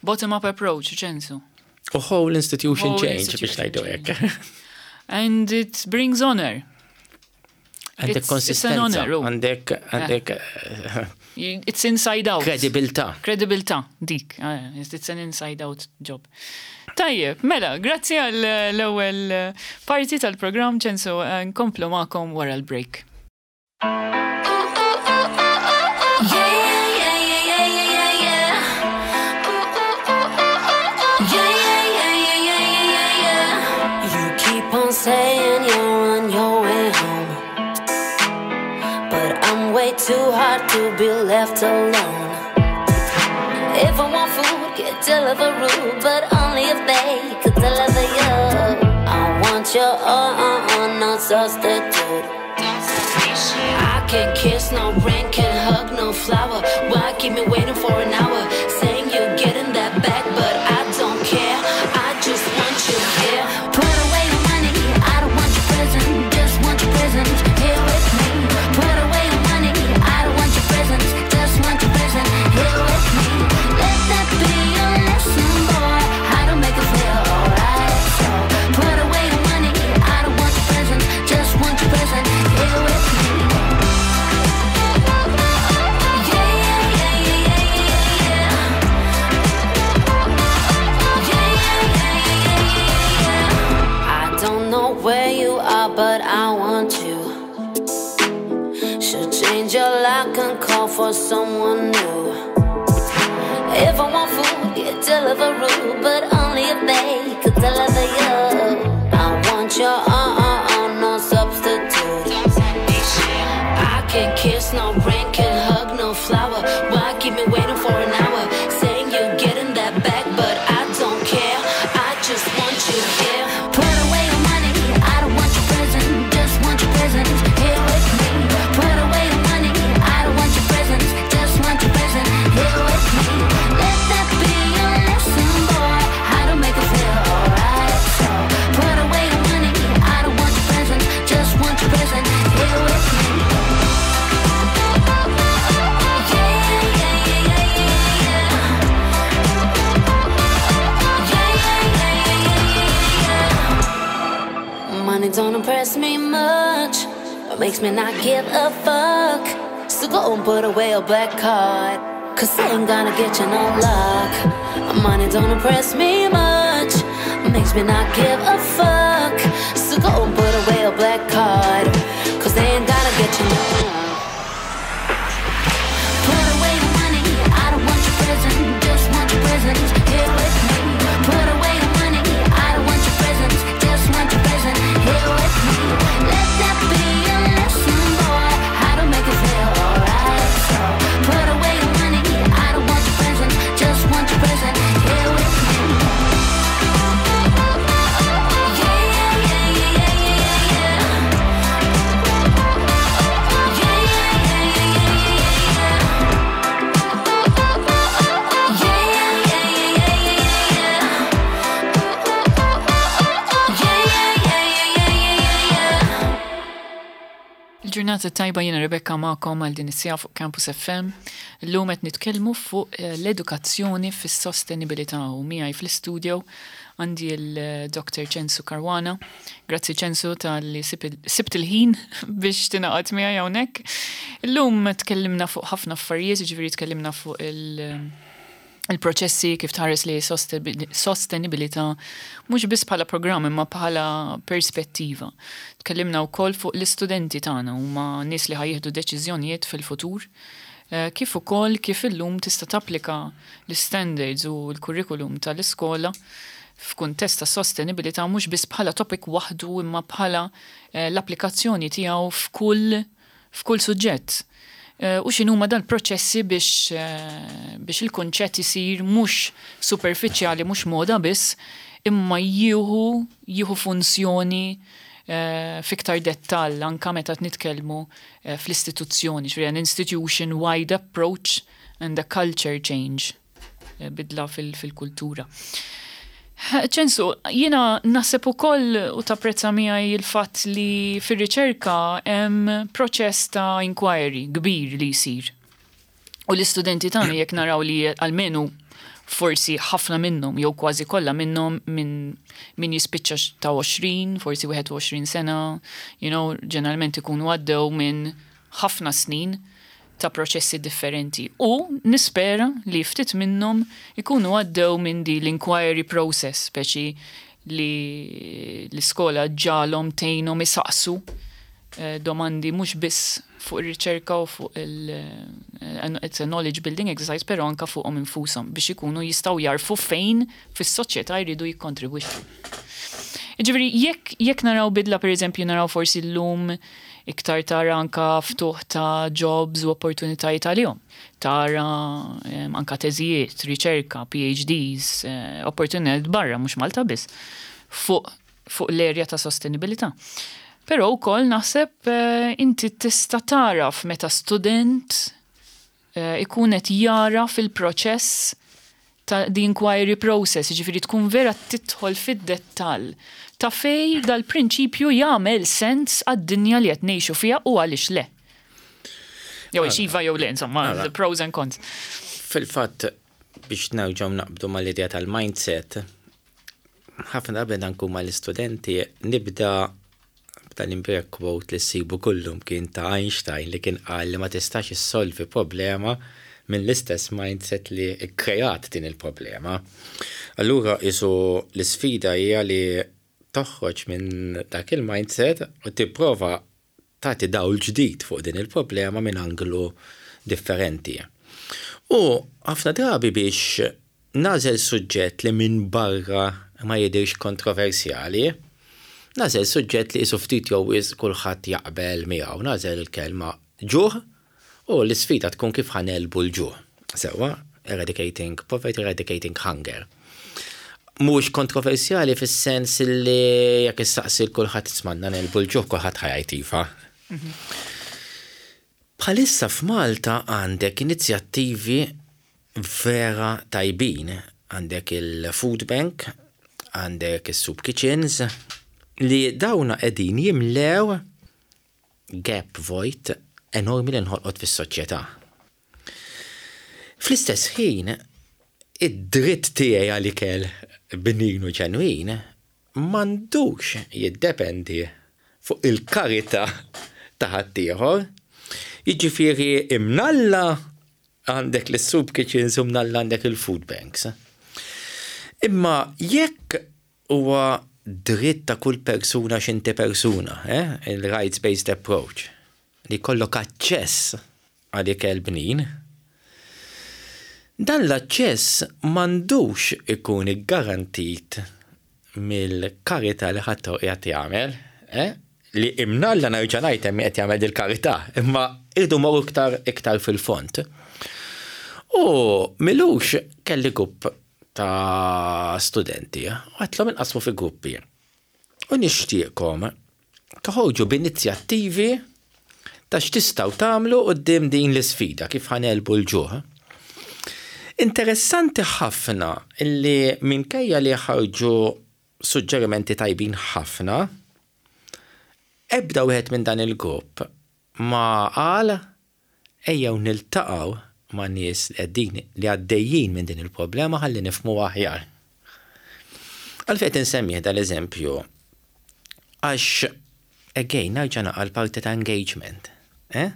S1: Bottom-up approach, Ċensu.
S2: U whole institution whole change biex ngħidu hekk.
S1: And it brings honor.
S2: Għandek konsistenza. Għandek, għandek.
S1: It's inside out.
S2: Kredibilità.
S1: Kredibilità, dik. Ah, it's an inside out job. Tajjeb, mela, grazzi għall l-ewwel parti tal-programm Ċensu, nkomplu magħkom wara l-break. Yeah, yeah, yeah, yeah, yeah, yeah. Ooh, ooh, ooh, ooh, ooh. Yeah, yeah, yeah, yeah, yeah, yeah, yeah.
S3: You keep on saying you're on your way home, but I'm way too hot to be left alone. If I want food, get delivery, but only if they could deliver you. I want your uh uh uh, no substitute. I can't kiss no ring, can't hug no flower. Why keep me waiting for an hour? Saying you're getting that back, but I don't care. I just want you here. Put away your money, I don't want your present, just want your presence here with me. Put away your money, I don't want your presents, just want your presence here with me. Let that be your lesson, boy. How to make it feel alright. So put away your money, I don't want your present, just want your present here with me. Yeah, yeah, yeah, yeah, yeah, yeah. Yeah, yeah, yeah, yeah, yeah, yeah. I don't know where you are, but I want you. Should change your lock and call for someone new. If I want food, get delivery, but only if they could deliver you. I want your uh uh uh, no substitute. I can't kiss no ring, can't hug no flower. Why keep me waiting for an hour? Saying you're getting that back, but I don't care. I just want you here. Put away your money, I don't want your present, just want your presence here with me. Put away your money, I don't want your presents, just want your present here with me. Let that be your lesson, boy. How to make it feel alright. So Money don't impress me much. It makes me not give a fuck. So go and put away a black card. 'Cause they ain't gonna get you no luck. Money don't impress me much. Makes me not give a fuck. So go and put away a black card. 'Cause they ain't gonna get you no luck. Put away your money, I don't want your present, just want your presence here with me. Put away your money, I don't want your presents, just want your presence here with me. Let that be a lesson, boy, how to make it feel alright. So put away your money, I don't want your present, just want your present here with me. Yeah, yeah, yeah, yeah, yeah, yeah, yeah. Yeah, yeah, yeah, yeah, yeah, yeah, yeah. Yeah, yeah, yeah, yeah, yeah, yeah, yeah. Yeah, yeah, yeah, yeah, yeah, yeah, yeah.
S1: Il-ġurnata tajba, jiena Rebecca magħkom għal din is-siegħa fuq Campus F M. Illum qed nitkellmu fuq eh, l-edukazzjoni fis-sostenibilità u miegħi fl-istudio għandi il-Doktor Ċensu Caruana. Grazzi, Ċensu, talli sibt il-ħin biex tingħaqad miegħi hawnhekk. Illum tkellimna fuq ħafna affarijiet, ġifieri tkellimna fuq il- il-proċessi kif tħares li sostenibilità mhux biss bħala programm imma bħala perspettiva. Tkellimna wkoll fuq l-istudenti tagħna, huma nies li ħa jieħdu deċiżjonijiet fil-futur. Eh, Kif ukoll kif illum tista' tapplika l-standards u l-kurrikulum tal-iskola f'kuntest ta' sostenibilità, mhux biss bħala topic waħdu imma bħala eh, l-applikazzjoni tiegħu f'kull f'kull suġġett. Eh, U x'inhuma dal-proċessi biex, eh, biex il-konċett isir mhux superfiċjali, mhux moda biss, imma jieħu jieħu funzjoni eh, fiktar dettall anka meta nitkellmu eh, fl-istituzzjoni, ġifieri an institution wide approach and a culture change, eh, bidla fil- fil-kultura. Ċensu, jiena naħseb ukoll u tapprezza miegħi il-fatt li fir-riċerka hemm proċess ta' inquiry kbir li jsir. U l-istudenti tagħna, jekk naraw li almenu forsi ħafna minnhom jew kważi kollha minnhom minn min jispiċċa ta' għoxrin, forsi wieħed u għoxrin sena, you know, ġeneralment ikunu għaddew minn ħafna snin ta' proċessi differenti. U nispera li ftit minnhom ikunu għaddew minn di l-inquiry process, speċi li l-iskola ġalhom tgħinhom isaqsu eh, domandi mhux biss fuq ir-riċerka u fuq il eh, it's a knowledge building exercise, però anka fuqhom infushom biex ikunu jistgħu jarfu fejn fis-soċjetà jridu jikkontribwixxu. Ġifieri, jekk jekk naraw bidla, per eżempju, naraw forsi l-lum iktar tara anka ftuħ ta' jobs u opportunitajiet għalihom. Tara em, anka teżijiet, riċerka, P H Ds, eh, opportunitajiet barra, mhux Malta biss, fuq fuq l-erja ta' sostenibilità. Però wkoll naħseb eh, inti tista' taraf meta student eh, ikun qed jara fil-proċess ta' the inquiry process, ġifieri tkun vera tidħol fid-dettall ta' fej dal-prinċipju jagħmel sens għad-dinja li qed ngħixu fiha u għaliex le. Jew iva jew le, insomma,
S2: Mela.
S1: the pros and cons.
S2: Fil-fatt, biex nerġgħu naqbdu mal-idea tal-mindset, ħafna drabi nkun mal-istudenti, nibda b'dal-imbrek quote li ssibu kullum kien ta' Einstein, li kien qal li ma tistax issolvi problema minn l-istess mindset li kreat din il-problema. Allura isu l-sfida hija li toħroġ minn dak il-mindset u tipprova tagħti dawl ġdid fuq din il-problema minn anglu differenti. U ħafna drabi biex nagħżel suġġett li minn barra ma jidirx kontroversjali, nagħżel suġġett li jisu ftit jew wisq kulħadd jaqbel miegħu, nagħżel il-kelma ġuħ u l-isfida tkun kif ħa negħlbu l-ġuħ. Sewwa, eradicating poverty, eradicating hunger. Mhux kontroversjali fis-sens li jekk issaqsi kulħadd isma', negħlbu l-ġuħ, kulħadd ħa jgħid iva. Bħalissa f'Malta għandek inizjattivi vera tajbin. Għandek il-Food Bank, għandek il-Soup Kitchens, li dawna qegħdin jimlew gap, void enormi li nħolqot fis-soċjetà. Fl-istess ħin, id-dritt tiegħi għal ikel bnin u ġenwin m'għandux jiddependi fuq il-karità ta' ħaddieħor. Jiġifieri imnalla għandek l-soup kitchens u mnalla għandek il-food banks. Imma jekk huwa dritt ta' kull persuna x'inti persuna, eh? Il-rights-based approach, li jkollok aċċess għal ikel bnin, dan l-aċċess m'għandux ikun garantit mill-karità li ħadd qiegħed jagħmel, eh? Li imnalla nerġa' ngħid hemm qed jagħmel il-karità, imma irdu morru iktar iktar fil-fond. U m'ilux kelli grupp ta' studenti, u għedtilhom inqasmu fi gruppi. U nixtieqkom toħorġu b'inizjattivi ta' x'tistgħu tagħmlu quddiem din l-isfida kif ħa negħlbu l-ġuħ. Interessanti ħafna illi minkejja li ħarġu suġġerimenti tajbin ħafna, ebda wieħed minn dan il-grupp ma qal ejjew niltaqgħu ma' nies li qegħdin li għaddejjin minn din il-problema ħalli nifhmu aħjar. Għalfejn insemmih dal-eżempju għax again nerġa' naqa' l-parti ta' engagement. Eh?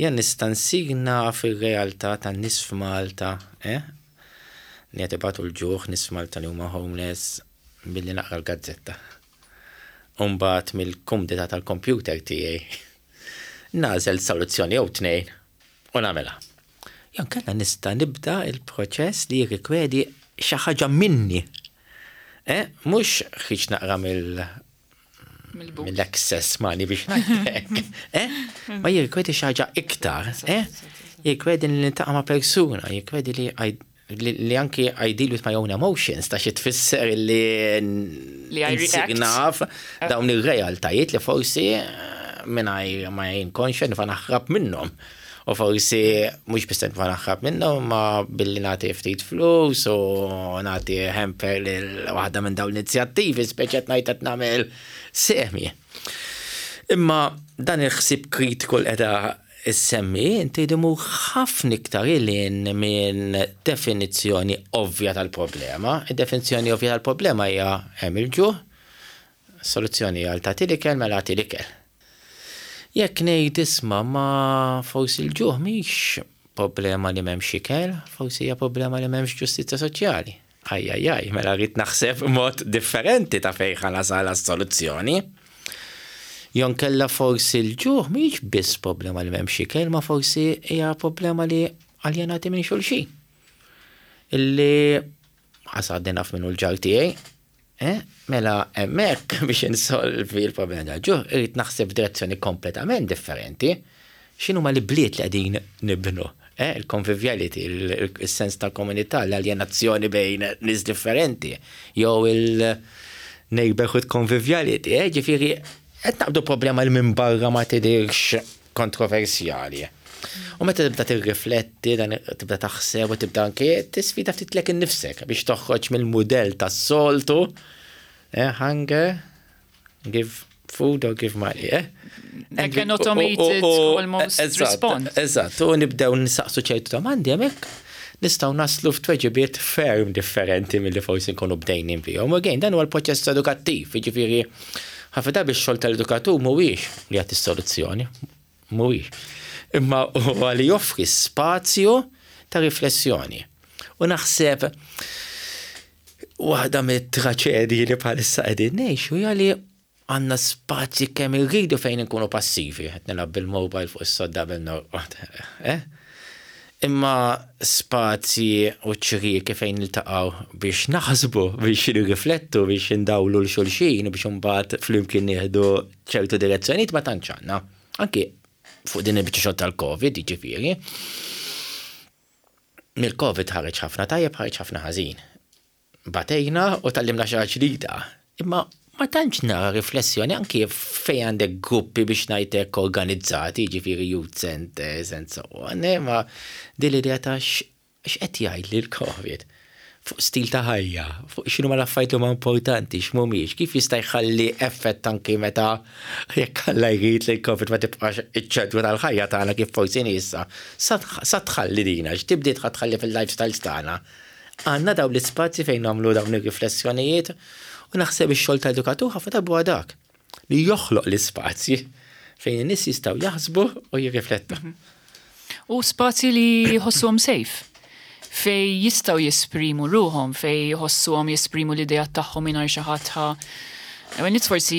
S2: Jien nista' nsir naf ir-realtà tan-nies f'Malta, eh? Li qed ibatu l-ġuħ, nies f'Malta li huma homeless billi naqra l-gazzetta. Umbagħad mill-kumdità tal-computer tiegħi nagħżel soluzzjoni jew tnejn u nagħmilha. Jew inkella nista' nibda il-proċess li jirrikjedi xi ħaġa minni. Eh? Mhux ħriġ naqra mill mill-excess money biex ngħidlek. Eh? Ma jirrikjedi xi ħaġa iktar. Eh? Jirrikjedi li niltaqa' ma' persuna, jirrikjedi li li, li anki I deal with my own emotions, ta' xi tfisser li
S1: Li I react.
S2: naf dawn ir-realtajiet li forsi mingħajr ma jien konxja nista' naħrab minnhom. U forsi mhux biss nista' naħrab minnhom, ma billi nagħti ftit flus u nagħti hamper lil waħda minn dawn l-inizjattivi, speċi qed ngħid qed nagħmel semi. Imma dan il-ħsieb kritiku li qiegħda issemmi, inti jdimu ħafna iktar lil hinn minn definizzjoni ovvja tal-problema. Id-definizzjoni ovvja tal-problema hija hemm il-ġuħ, soluzzjoni għal tagħti l-ikel mela tagħti l-ikel. Jekk ngħid isma' ma forsi l-ġuħ mhix problema li m'hemmx ikel, forsi hija problema li m'hemmx ġustizzja soċjali. Aj, aj, aj, mela rrid naħseb mod differenti ta' fejn ħa nasal soluzzjoni. Jew inkella forsi l-ġuħ mhix biss problema li m'hemmx ikel, ma forsi hija problema li aljenati minn xulxin. Illi għadni naf min hu l-ġar tiegħi, eh? Mela hemmhekk biex insolvi l-problema tal-ġuħ, irrid naħseb f'direzzjoni kompletament differenti. X'inhuma l-bliet li qegħdin nibnu? Eh? Il-conviviality, il-sens ta' komunità, l-aljenazzjoni bejn nies differenti, jew il-neighborhood conviviality, eh? Ġifieri, qed naqbdu problema li minn barra ma tidirx kontroversjali. U meta tibda tirrifletti, dan tibda taħseb u tibda anke tisfida ftit lilek innifsek biex toħroġ mill-mudell tas-soltu, eh, hunger, give food or give money, eh?
S1: Like an automated almost response.
S2: Eżatt, u nibdew nisaqsu ċertu domandi hemmhekk nistgħu naslu f'tweġibiet ferm differenti milli forsi nkunu bdejnin bihom. U again, dan huwa l-proċess edukattiv, jiġifieri ħafna drabi x-xogħol tal-edukatur mhuwiex li jagħti soluzzjoni, mhuwiex. Imma huwa li joffri spazju ta' riflessjoni. U naħseb waħda mit-traċedji li bħalissa qegħdin ngħixu hija li għandna spazji kemm irridu fejn nkunu passivi, qed nilgħab bil-mobile fuq is-sodda bil-norqod. Eh? Imma spazji u ċrieki fejn niltaqgħu biex naħsbu, biex nirriflettu, biex ndawlu 'l xulxin u biex imbagħad flimkien nieħdu ċertu direzzjonijiet ma tantx għandna. Anki fuq din il-biċċa xogħol tal-Covid, jiġifieri. Mill-Covid ħareġ ħafna tajjeb, ħareġ ħafna ħażin. Batejna u tgħallimna xi ħaġa ġdida. Imma ma tantx nara riflessjoni anki fejn għandek gruppi biex ngħidlek organizzati, jiġifieri youth centers and so on, eh, ma din l-idea ta' x'qed jgħid li l-Covid fuq stil ta' ħajja, fuq x'inhu ma l-affarijiet li huma importanti, x'mhumiex, kif jista' jħalli effett anki meta jekk Alla jrid li l-Covid ma tibqax iċ-ċentru tal-ħajja tagħna kif forsi issa, sa tħalli dina, x'tibdiet ħa tħalli fil-lifestyles tagħna. Għandna dawn l-ispazji fejn nagħmlu dawn ir-riflessjonijiet U naħseb ix-xogħol ta' edukatur ħafna drabi dak li joħloq l-ispazji fejn in-nies jistgħu jaħsbu u jirriflettu. Mhm.
S1: U spazji li jħossuhom safe, fejn jistgħu jesprimu ruħhom, fejn jħossuhom jesprimu l-idea tagħhom mingħajr xi ħadd Għal forsi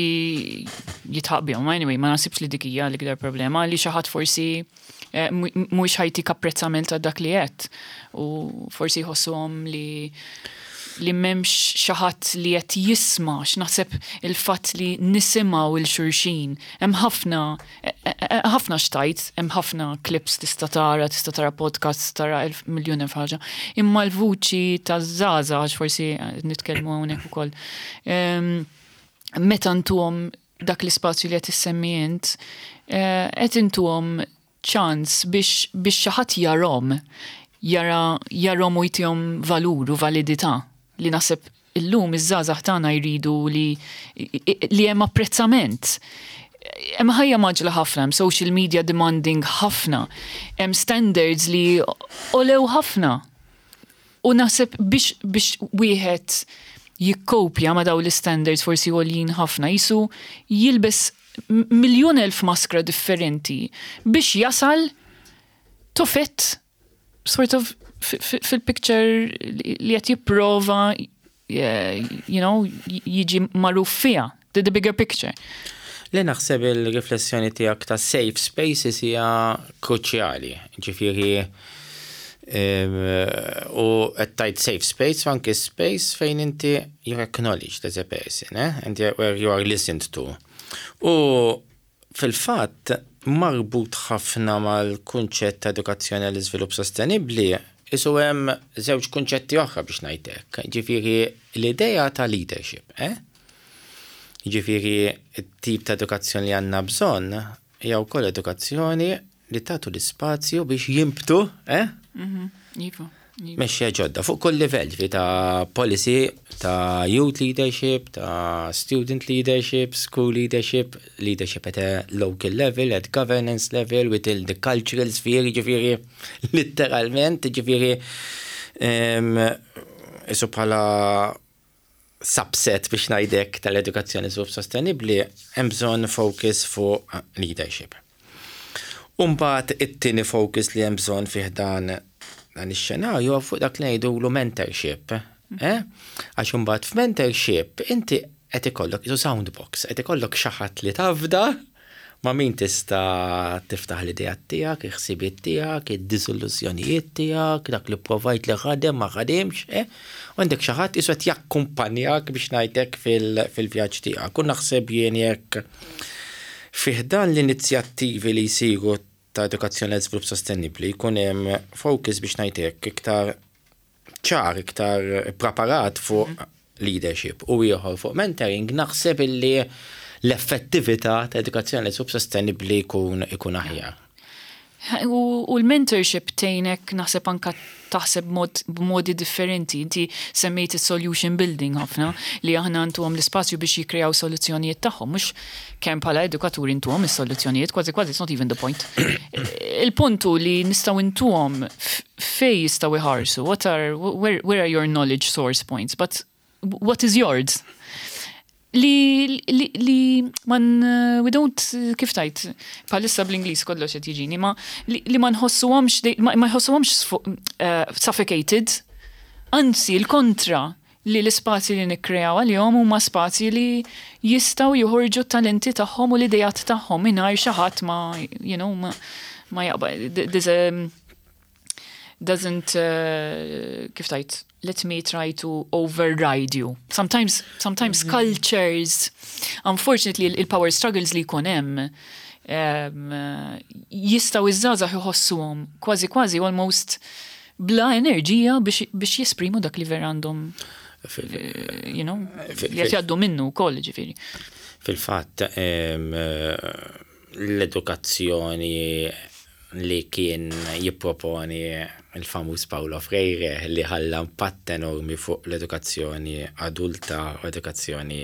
S1: jidħaq bihom, anyway, ma naħsibx li dik hija l-ikbar problema, li xi ħadd forsi eh, mhux ħa jtik apprezzament ta' dak li qed u forsi jħossuhom li li m'hemmx xi ħadd li qed jisma', x'naħseb il-fatt li nisimgħu lil xulxin. Hemm ħafna e, e, e, ħafna xtajt, hemm ħafna clips tista' tara, tista' tara podcasts, tara elf miljun elf ħaġa. Imma l-vuċi taż-żgħażagħ, għax forsi nitkellmu hawnhekk ukoll. Meta ntuhom dak l-ispazju li qed issemmi int, qed intuhom ċans biex biex xi ħadd jarahom, jara jarahom u jtihom valur u validità li naħseb illum iż-żgħażagħ tagħna jridu li li hemm apprezzament. Hemm ħajja mgħaġġla ħafna, hemm social media demanding ħafna, hemm standards li għolew ħafna. U naħseb biex biex wieħed jikkopja ma' daw l-standards forsi għoljin ħafna, jisu jilbes miljon elf maskra differenti biex jasal to fit sort of fil-picture li qed jipprova you know, jiġi magħruf fiha, the, the bigger picture.
S2: Li naħseb il-riflessjoni tiegħek ta' safe spaces hija kruċjali. Ġifieri u qed tgħid safe space anke space fejn inti you're acknowledged as a person, eh? And where you are listened to. U fil-fatt marbut ħafna mal-kunċett ta' edukazzjoni għall iżvilupp sostenibbli, isu hemm żewġ kunċetti oħra biex ngħidlek. Ġifieri l-idea ta' leadership, eh? Ġifieri t-tip ta' edukazzjoni li għandna bżonn hija wkoll edukazzjoni li tagħtu l-ispazju biex jinbtu, eh?
S1: Mhm, iva.
S2: Mexxejja ġodda fuq kull livell, ġifieri ta' policy, ta' youth leadership, ta' student leadership, school leadership, leadership at a local level, at governance level, within the cultural sphere, ġifieri literalment, ġifieri isu bħala subset biex ngħidlek tal-edukazzjoni żvilupp sostenibbli, hemm bżonn focus fuq leadership. Umbagħad it-tieni focus li hemm bżonn fih dan dan ix-xenarju fuq dak li ngħidulu mentorship. Eh? Għax imbagħad f'mentorship inti qed ikollok isu soundbox, qed ikollok xi ħadd li tafda ma' min tista' tiftaħ l-idea tiegħek, il-ħsibiet tiegħek, id-diżillużjonijiet tiegħek, dak li provajt li ħadem ma ħademx, eh? U għandek xi ħadd isu qed jakkumpanjak biex ngħidlek fil-vjaġġ tiegħek. U naħseb jien jekk fih dan l-inizjattivi li jsiru ta' edukazzjoni għal żvilupp sostenibbli jkun hemm focus biex ngħidlek iktar ċar, iktar preparat fuq leadership u ieħor fuq mentoring, naħseb illi l-effettività ta' edukazzjoni għal żvilupp sostenibbli jkun ikun aħjar.
S1: U, u l-mentorship tgħinek naħseb anka taħseb mod, b'modi differenti. Inti semmejt il-solution building ħafna li aħna ntuhom l-ispazju biex jikreaw soluzzjonijiet tagħhom, mhux kemm bħala edukaturi ntuhom is-soluzzjonijiet, kważi kważi it's not even the point. Il-puntu li nistgħu ntuhom fejn jistgħu jħarsu, what are where, where are your knowledge source points, but what is yours? Li, li, li man, we don't, kif tgħid, bħalissa bl-Ingliż kollox qed jiġini, ma li, li ma nħossuhomx, ma, ma jħossuhomx uh, suffocated, anzi l-kontra li l-ispazji li nikkreaw għalihom huma spazji li jistgħu joħorġu talenti tagħhom u l-idejat tagħhom mingħajr xi ħadd ma, you know, ma, ma jaqba, there's a, doesn't, uh, kif tgħid, let me try to override you. Sometimes, sometimes mm -hmm. cultures, unfortunately, il-power struggles li jkun hemm um, jistgħu iż-żgħażagħ jħossuhom kważi kważi almost bla enerġija biex, biex jesprimu dak li vera għandhom, you know, li qed jgħaddu minnu wkoll ġifieri.
S2: Fil-fatt, l-edukazzjoni li kien jipproponi il-famuż Paulo Freire li ħalla impatt enormi fuq l-edukazzjoni adulta u edukazzjoni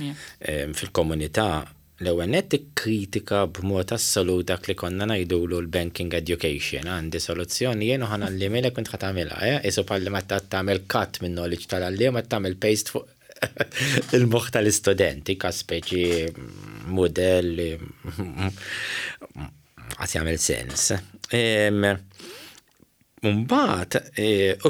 S2: yeah. fil-komunità, l-ewwel nett kritika b'mod assolut dak li konna ngħidulu l-banking education. Għandi soluzzjoni jien u ħa ngħallimhielek u int ħa tagħmilha, eh? Isu bħalli ma tagħmel cut minn knowledge tal-għalliem ma tagħmel paste fuq Il-moħħ tal-istudenti ka speċi modell li għas jagħmel sens. Mbagħad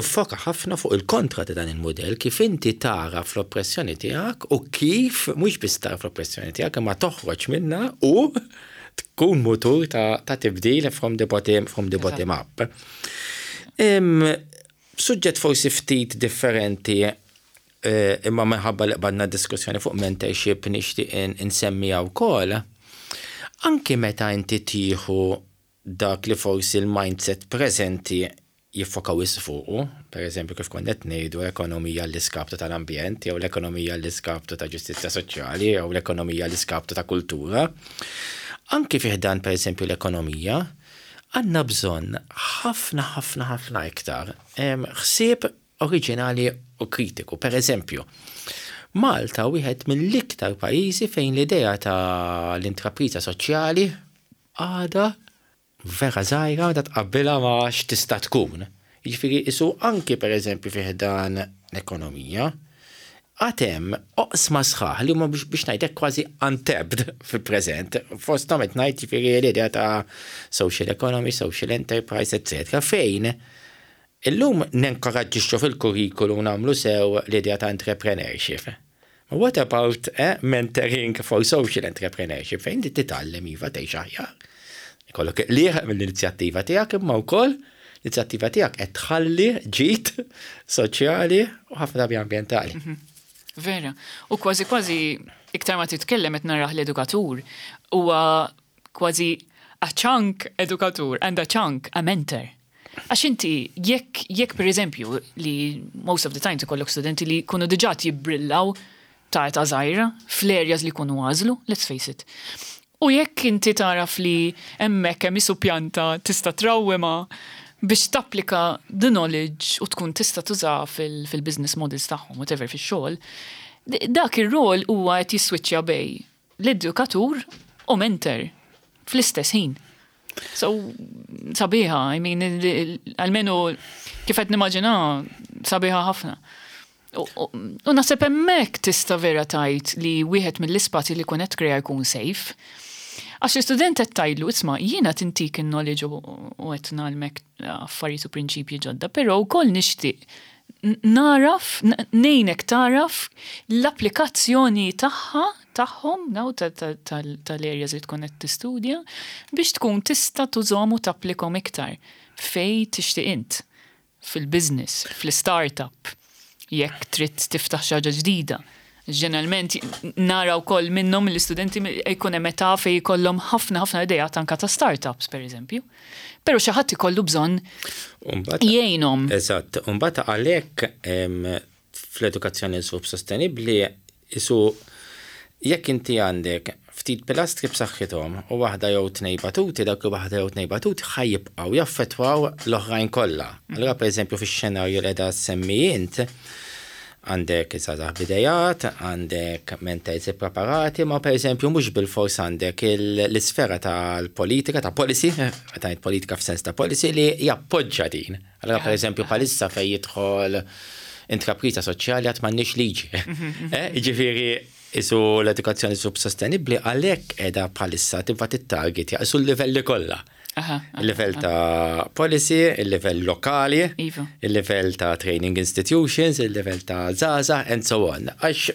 S2: iffoka ħafna fuq il-kontra ta' dan il-modell, kif inti tara fl-oppressjoni tiegħek u kif mhux biss tara fl-oppressjoni tiegħek, imma toħroġ minna u tkun mutur ta', ta tibdil from the bottom, from the bottom up. Suġġett forsi ftit differenti, eh, imma minħabba li qbadna diskussjoni fuq mentorship nixtieq insemmiha wkoll. Anki meta inti tieħu dak li forsi l-mindset preżenti jiffokaw fuqu, per eżempju kif konna qed ngħidu, ekonomija l-iskaptu tal-ambjent, jew l-ekonomija l-iskaptu ta' ġustizzja soċjali, jew l-ekonomija l-iskaptu ta' kultura. Anki fih dan, per eżempju, l-ekonomija, għandna bżonn ħafna, ħafna, ħafna iktar ħsieb oriġinali u kritiku. Per eżempju, Malta wieħed mill-iktar pajjiżi fejn l-idea ta' l-intrapriża soċjali għada vera żgħira meta tqabbilha ma' x'tista' tkun. Jiġifieri isu anki, per eżempju, fih dan l-ekonomija, għad hemm oqsma sħaħ li huma, biex ngħidlek, kważi untapped fil-preżent. Fosthom qed ngħid, jiġifieri, l-idea ta' social economy, social enterprise, et cetera fejn illum nenkoraġġixxu fil-kurrikulu nagħmlu sew l-idea ta' entrepreneurship. What about eh, mentoring for social entrepreneurship, fejn li titgħallem, iva, tgħix aħjar? Ikollok liħ mill-inizjattiva tiegħek, imma wkoll l-inizjattiva tiegħek qed tħalli ġid soċjali u ħafna drabi ambjentali.
S1: Mhm. Vera. U kważi kważi iktar ma titkellem qed narah l-edukatur huwa kważi a chunk edukatur and a chunk a mentor. Għax inti, jekk jekk per eżempju li most of the time ikollok studenti li jkunu diġà jibbrillaw ta' ta' żgħira fl-areas li jkunu għażlu, let's face it. U jekk inti taraf li hemmhekk hemm isu pjanta tista' trawwima biex tapplika the knowledge u tkun tista' tuża fil-business models tagħhom, whatever, fix-xogħol, dak ir-rol huwa qed jiswiċċja bejn l-edukatur u mentor fl-istess ħin. So, sabiħa, I mean, almenu kif qed nimmaġina, sabiħa ħafna. U naħseb hemmhekk tista' vera tgħid li wieħed mill-ispazji li kun qed krea jkun safe. Għax l-istudent qed tgħidlu, "Isma', jiena tintik il-knowledge u qed ngħallmek affarijiet u prinċipji ġodda, però wkoll nixtieq naraf, ngħinek taraf l-applikazzjoni tagħha tagħhom naw tal-areas li tkun qed tistudja biex tkun tista' tużhom u tapplikom iktar fej tixtieq int fil-business, fil-startup, jekk trid tiftaħ xi ħaġa ġdida." Ġeneralment nara wkoll minnhom l-istudenti jkun hemm età fejn jkollhom ħafna ħafna idea anka ta' startups, per eżempju. Però xi ħadd ikollu bżonn jgħinhom.
S2: Eżatt, mbagħad għalhekk fl-edukazzjoni żvilupp sostenibbli isu jekk inti għandek ftit pilastri b'saħħithom u waħda jew tnejn batuti, dak waħda jew tnejn batuti ħa jibqgħu jaffettwaw l-oħrajn kollha. Allura, pereżempju, fix-xenarju li qiegħda semmi int, għandek żgħażagħ b'idejat, għandek mentors preparati, ma per eżempju mhux bil-fors għandek l-isfera tal-politika, ta' policy, ta' politika f'sens ta' policy li jappoġġa din. Allora, per eżempju, bħalissa fej jidħol intrapriża soċjali għad m'għandniex liġi. Eh, Ġifieri, isu l-edukazzjoni sub sostenibli għalhekk qiegħda bħalissa tibqa' tittarget isu l-livelli kollha. Il-level ta' policy, il-level lokali,
S1: iva.
S2: il-level ta' training institutions, il-level ta' żgħażagħ, and so on. Għax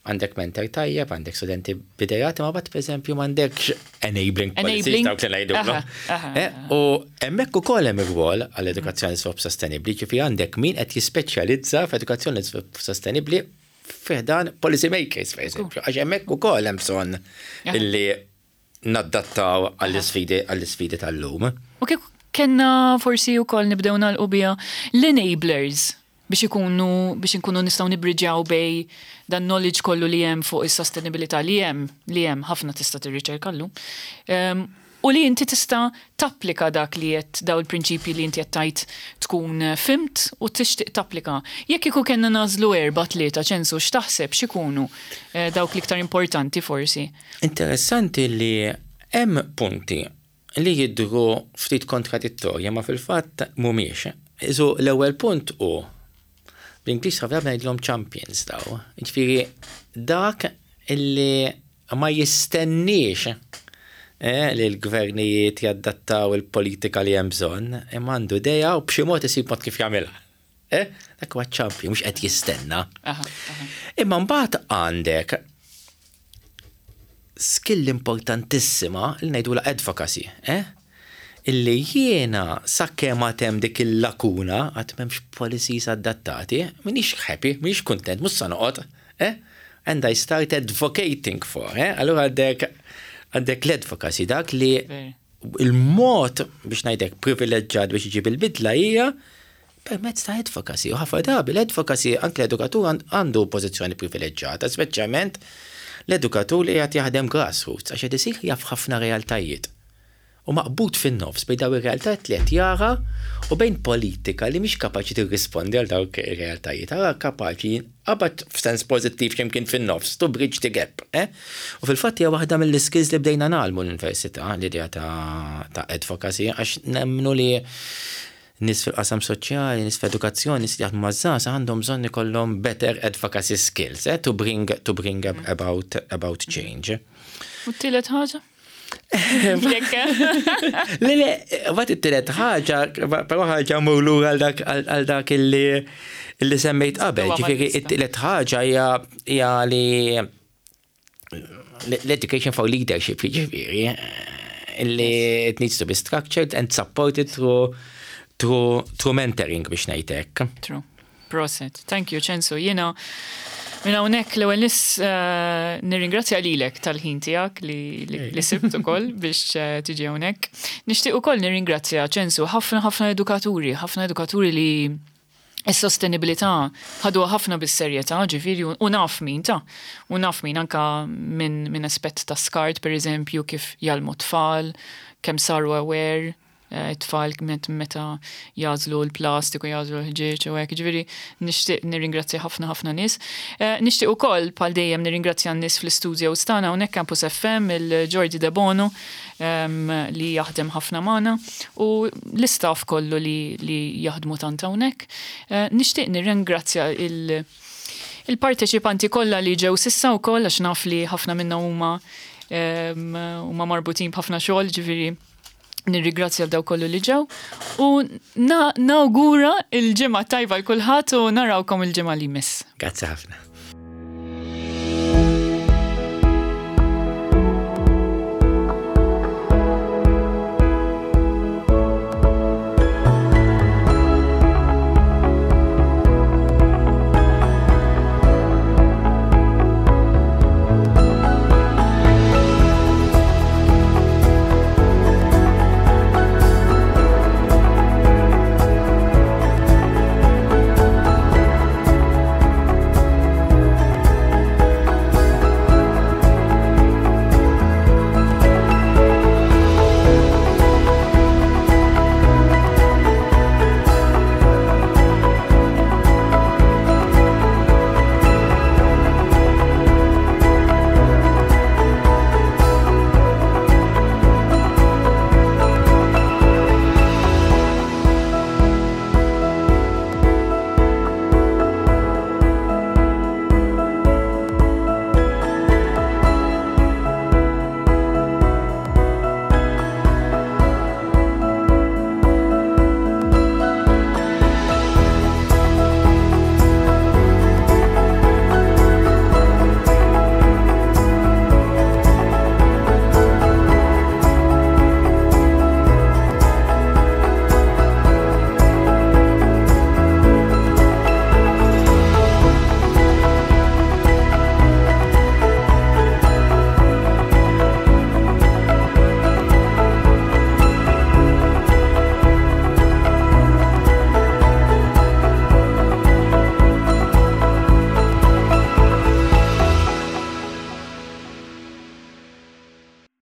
S2: għandek mentor tajjeb, għandek studenti b'idejat, ma but per eżempju m'għandekx enabling policies, dawk li ngħidu. Eh, u hemmhekk ukoll hemm ir-rwol għall-edukazzjoni sub sostenibbli, ġifieri għandek min qed jispeċjalizza f'edukazzjoni sostenibbli fi ħdan policy makers, per eżempju. Għax hemmhekk ukoll hemm bżonn illi naddattaw għall-isfidi għall-isfidi tal-lum.
S1: U kif kellna forsi wkoll nibdew nagħlqu biha l-enablers biex ikunu biex inkunu nistgħu nibriġaw bejn dan knowledge kollu li hemm fuq is-sostenibilità li hemm li hemm ħafna tista' tirriċerka llum. Um, u li inti tista' tapplika dak li qed daw il-prinċipji li inti qed tgħid tkun fhimt u tixtieq tapplika. Jekk iku kellna nagħżlu erba', tlieta, Ċensu, x'taħseb x'ikunu eh, dawk l-iktar importanti forsi?
S2: Interessanti li hemm punti li jidhru ftit kontradittorja, ma fil-fatt mhumiex. Isu l-ewwel punt hu Bl-Ingliż ħafna ngħidlhom champions daw. Ġifieri dak illi ma jistenniex eh, li l-gvernijiet jaddattaw il-politika li hemm bżonn, imma għandu idea u b'xi mod isib mod kif jagħmilha. Eh? Dak huwa champion, mhux qed jistenna. Imma mbagħad għandek skill importantissima li ngħidula advocacy, eh? Illi jiena sakemm hemm dik il-lakuna għad m'hemmx policies adattati, m'iniex happy, m'iniex kontent, mhux sa noqgħod, eh? And I start advocating for, eh? Allura għandek għandek l-advocacy, dak li il-mod biex ngħidlek privileġġat biex iġib il-bidla hija permezz ta' advocacy. U ħafna drabi l-advocacy, anke l-edukatur għandu pożizzjoni privileġġata, speċjalment l-edukatur li qed jaħdem grassroots, għax qed isir jaf ħafna realtajiet. U maqbud fin-nofs bejn daw ir-realtajiet li qed jara u bejn politika li mhix kapaċi tirrispondi għal dawk ir-realtajiet. Ara kapaċi qabad f'sens pożittiv x'imkien fin-nofs, to bridge the gap. Eh? U fil-fatt hija waħda mill-skills li bdejna ngħallmu l-università, l-idea ta', ta advocacy, għax nemmnu li nies fil-qasam soċjali, nies fl-edukazzjoni, nies li jaħdmu maż-żgħażagħ għandhom bżonn ikollhom better advocacy skills, eh, to bring, to bring about, about change.
S1: U t-tielet ħaġa?
S2: Le, le, vat it-tielet ħaġa, però ħaġa mulu għal dak illi illi semmejt qabel. Ġifieri, it-tielet ħaġa hija li l-education for leadership, ġifieri, illi it needs to be structured and supported through through, through mentoring biex ngħidlek.
S1: True. Prosit. Thank you, Ċensu. Jiena minn hawnhekk l-ewwel nis uh, nirringrazzja lilek tal-ħin tiegħek li, li, li sibt ukoll biex uh, tiġi hawnhekk. Nixtieq ukoll nirringrazzja, Ċensu, ħafna ħafna edukaturi, ħafna edukaturi li is-sostenibilità ħadu ħafna bis-serjetà, ġifieri, u naf min ta' u naf min anka minn min aspett ta' skart, per eżempju, kif jgħallmu tfal, kemm saru aware eh, tfal meta jagħżlu l-plastiku, jagħżlu l-ħġieġ u hekk, ġifieri nixtieq nirringrazzja ħafna ħafna nies. Eh, nixtieq ukoll bħal dejjem nirringrazzja n-nies fl-istudio tagħna hawnhekk Campus F M, il-Jordi De Bono li jaħdem ħafna magħna u l-istaff kollu li, li jaħdmu tant hawnhekk. Eh, nixtieq nirringrazzja il- il-parteċipanti kollha li ġew s'issa wkoll, għax naf li ħafna minnhom huma huma marbutin b'ħafna xogħol, ġifieri nirringrazzja daw kollu li ġew u nawgura il-ġimgħa tajba lil kulħadd u narawkom il-ġimgħa li jmiss.
S2: Grazzi ħafna.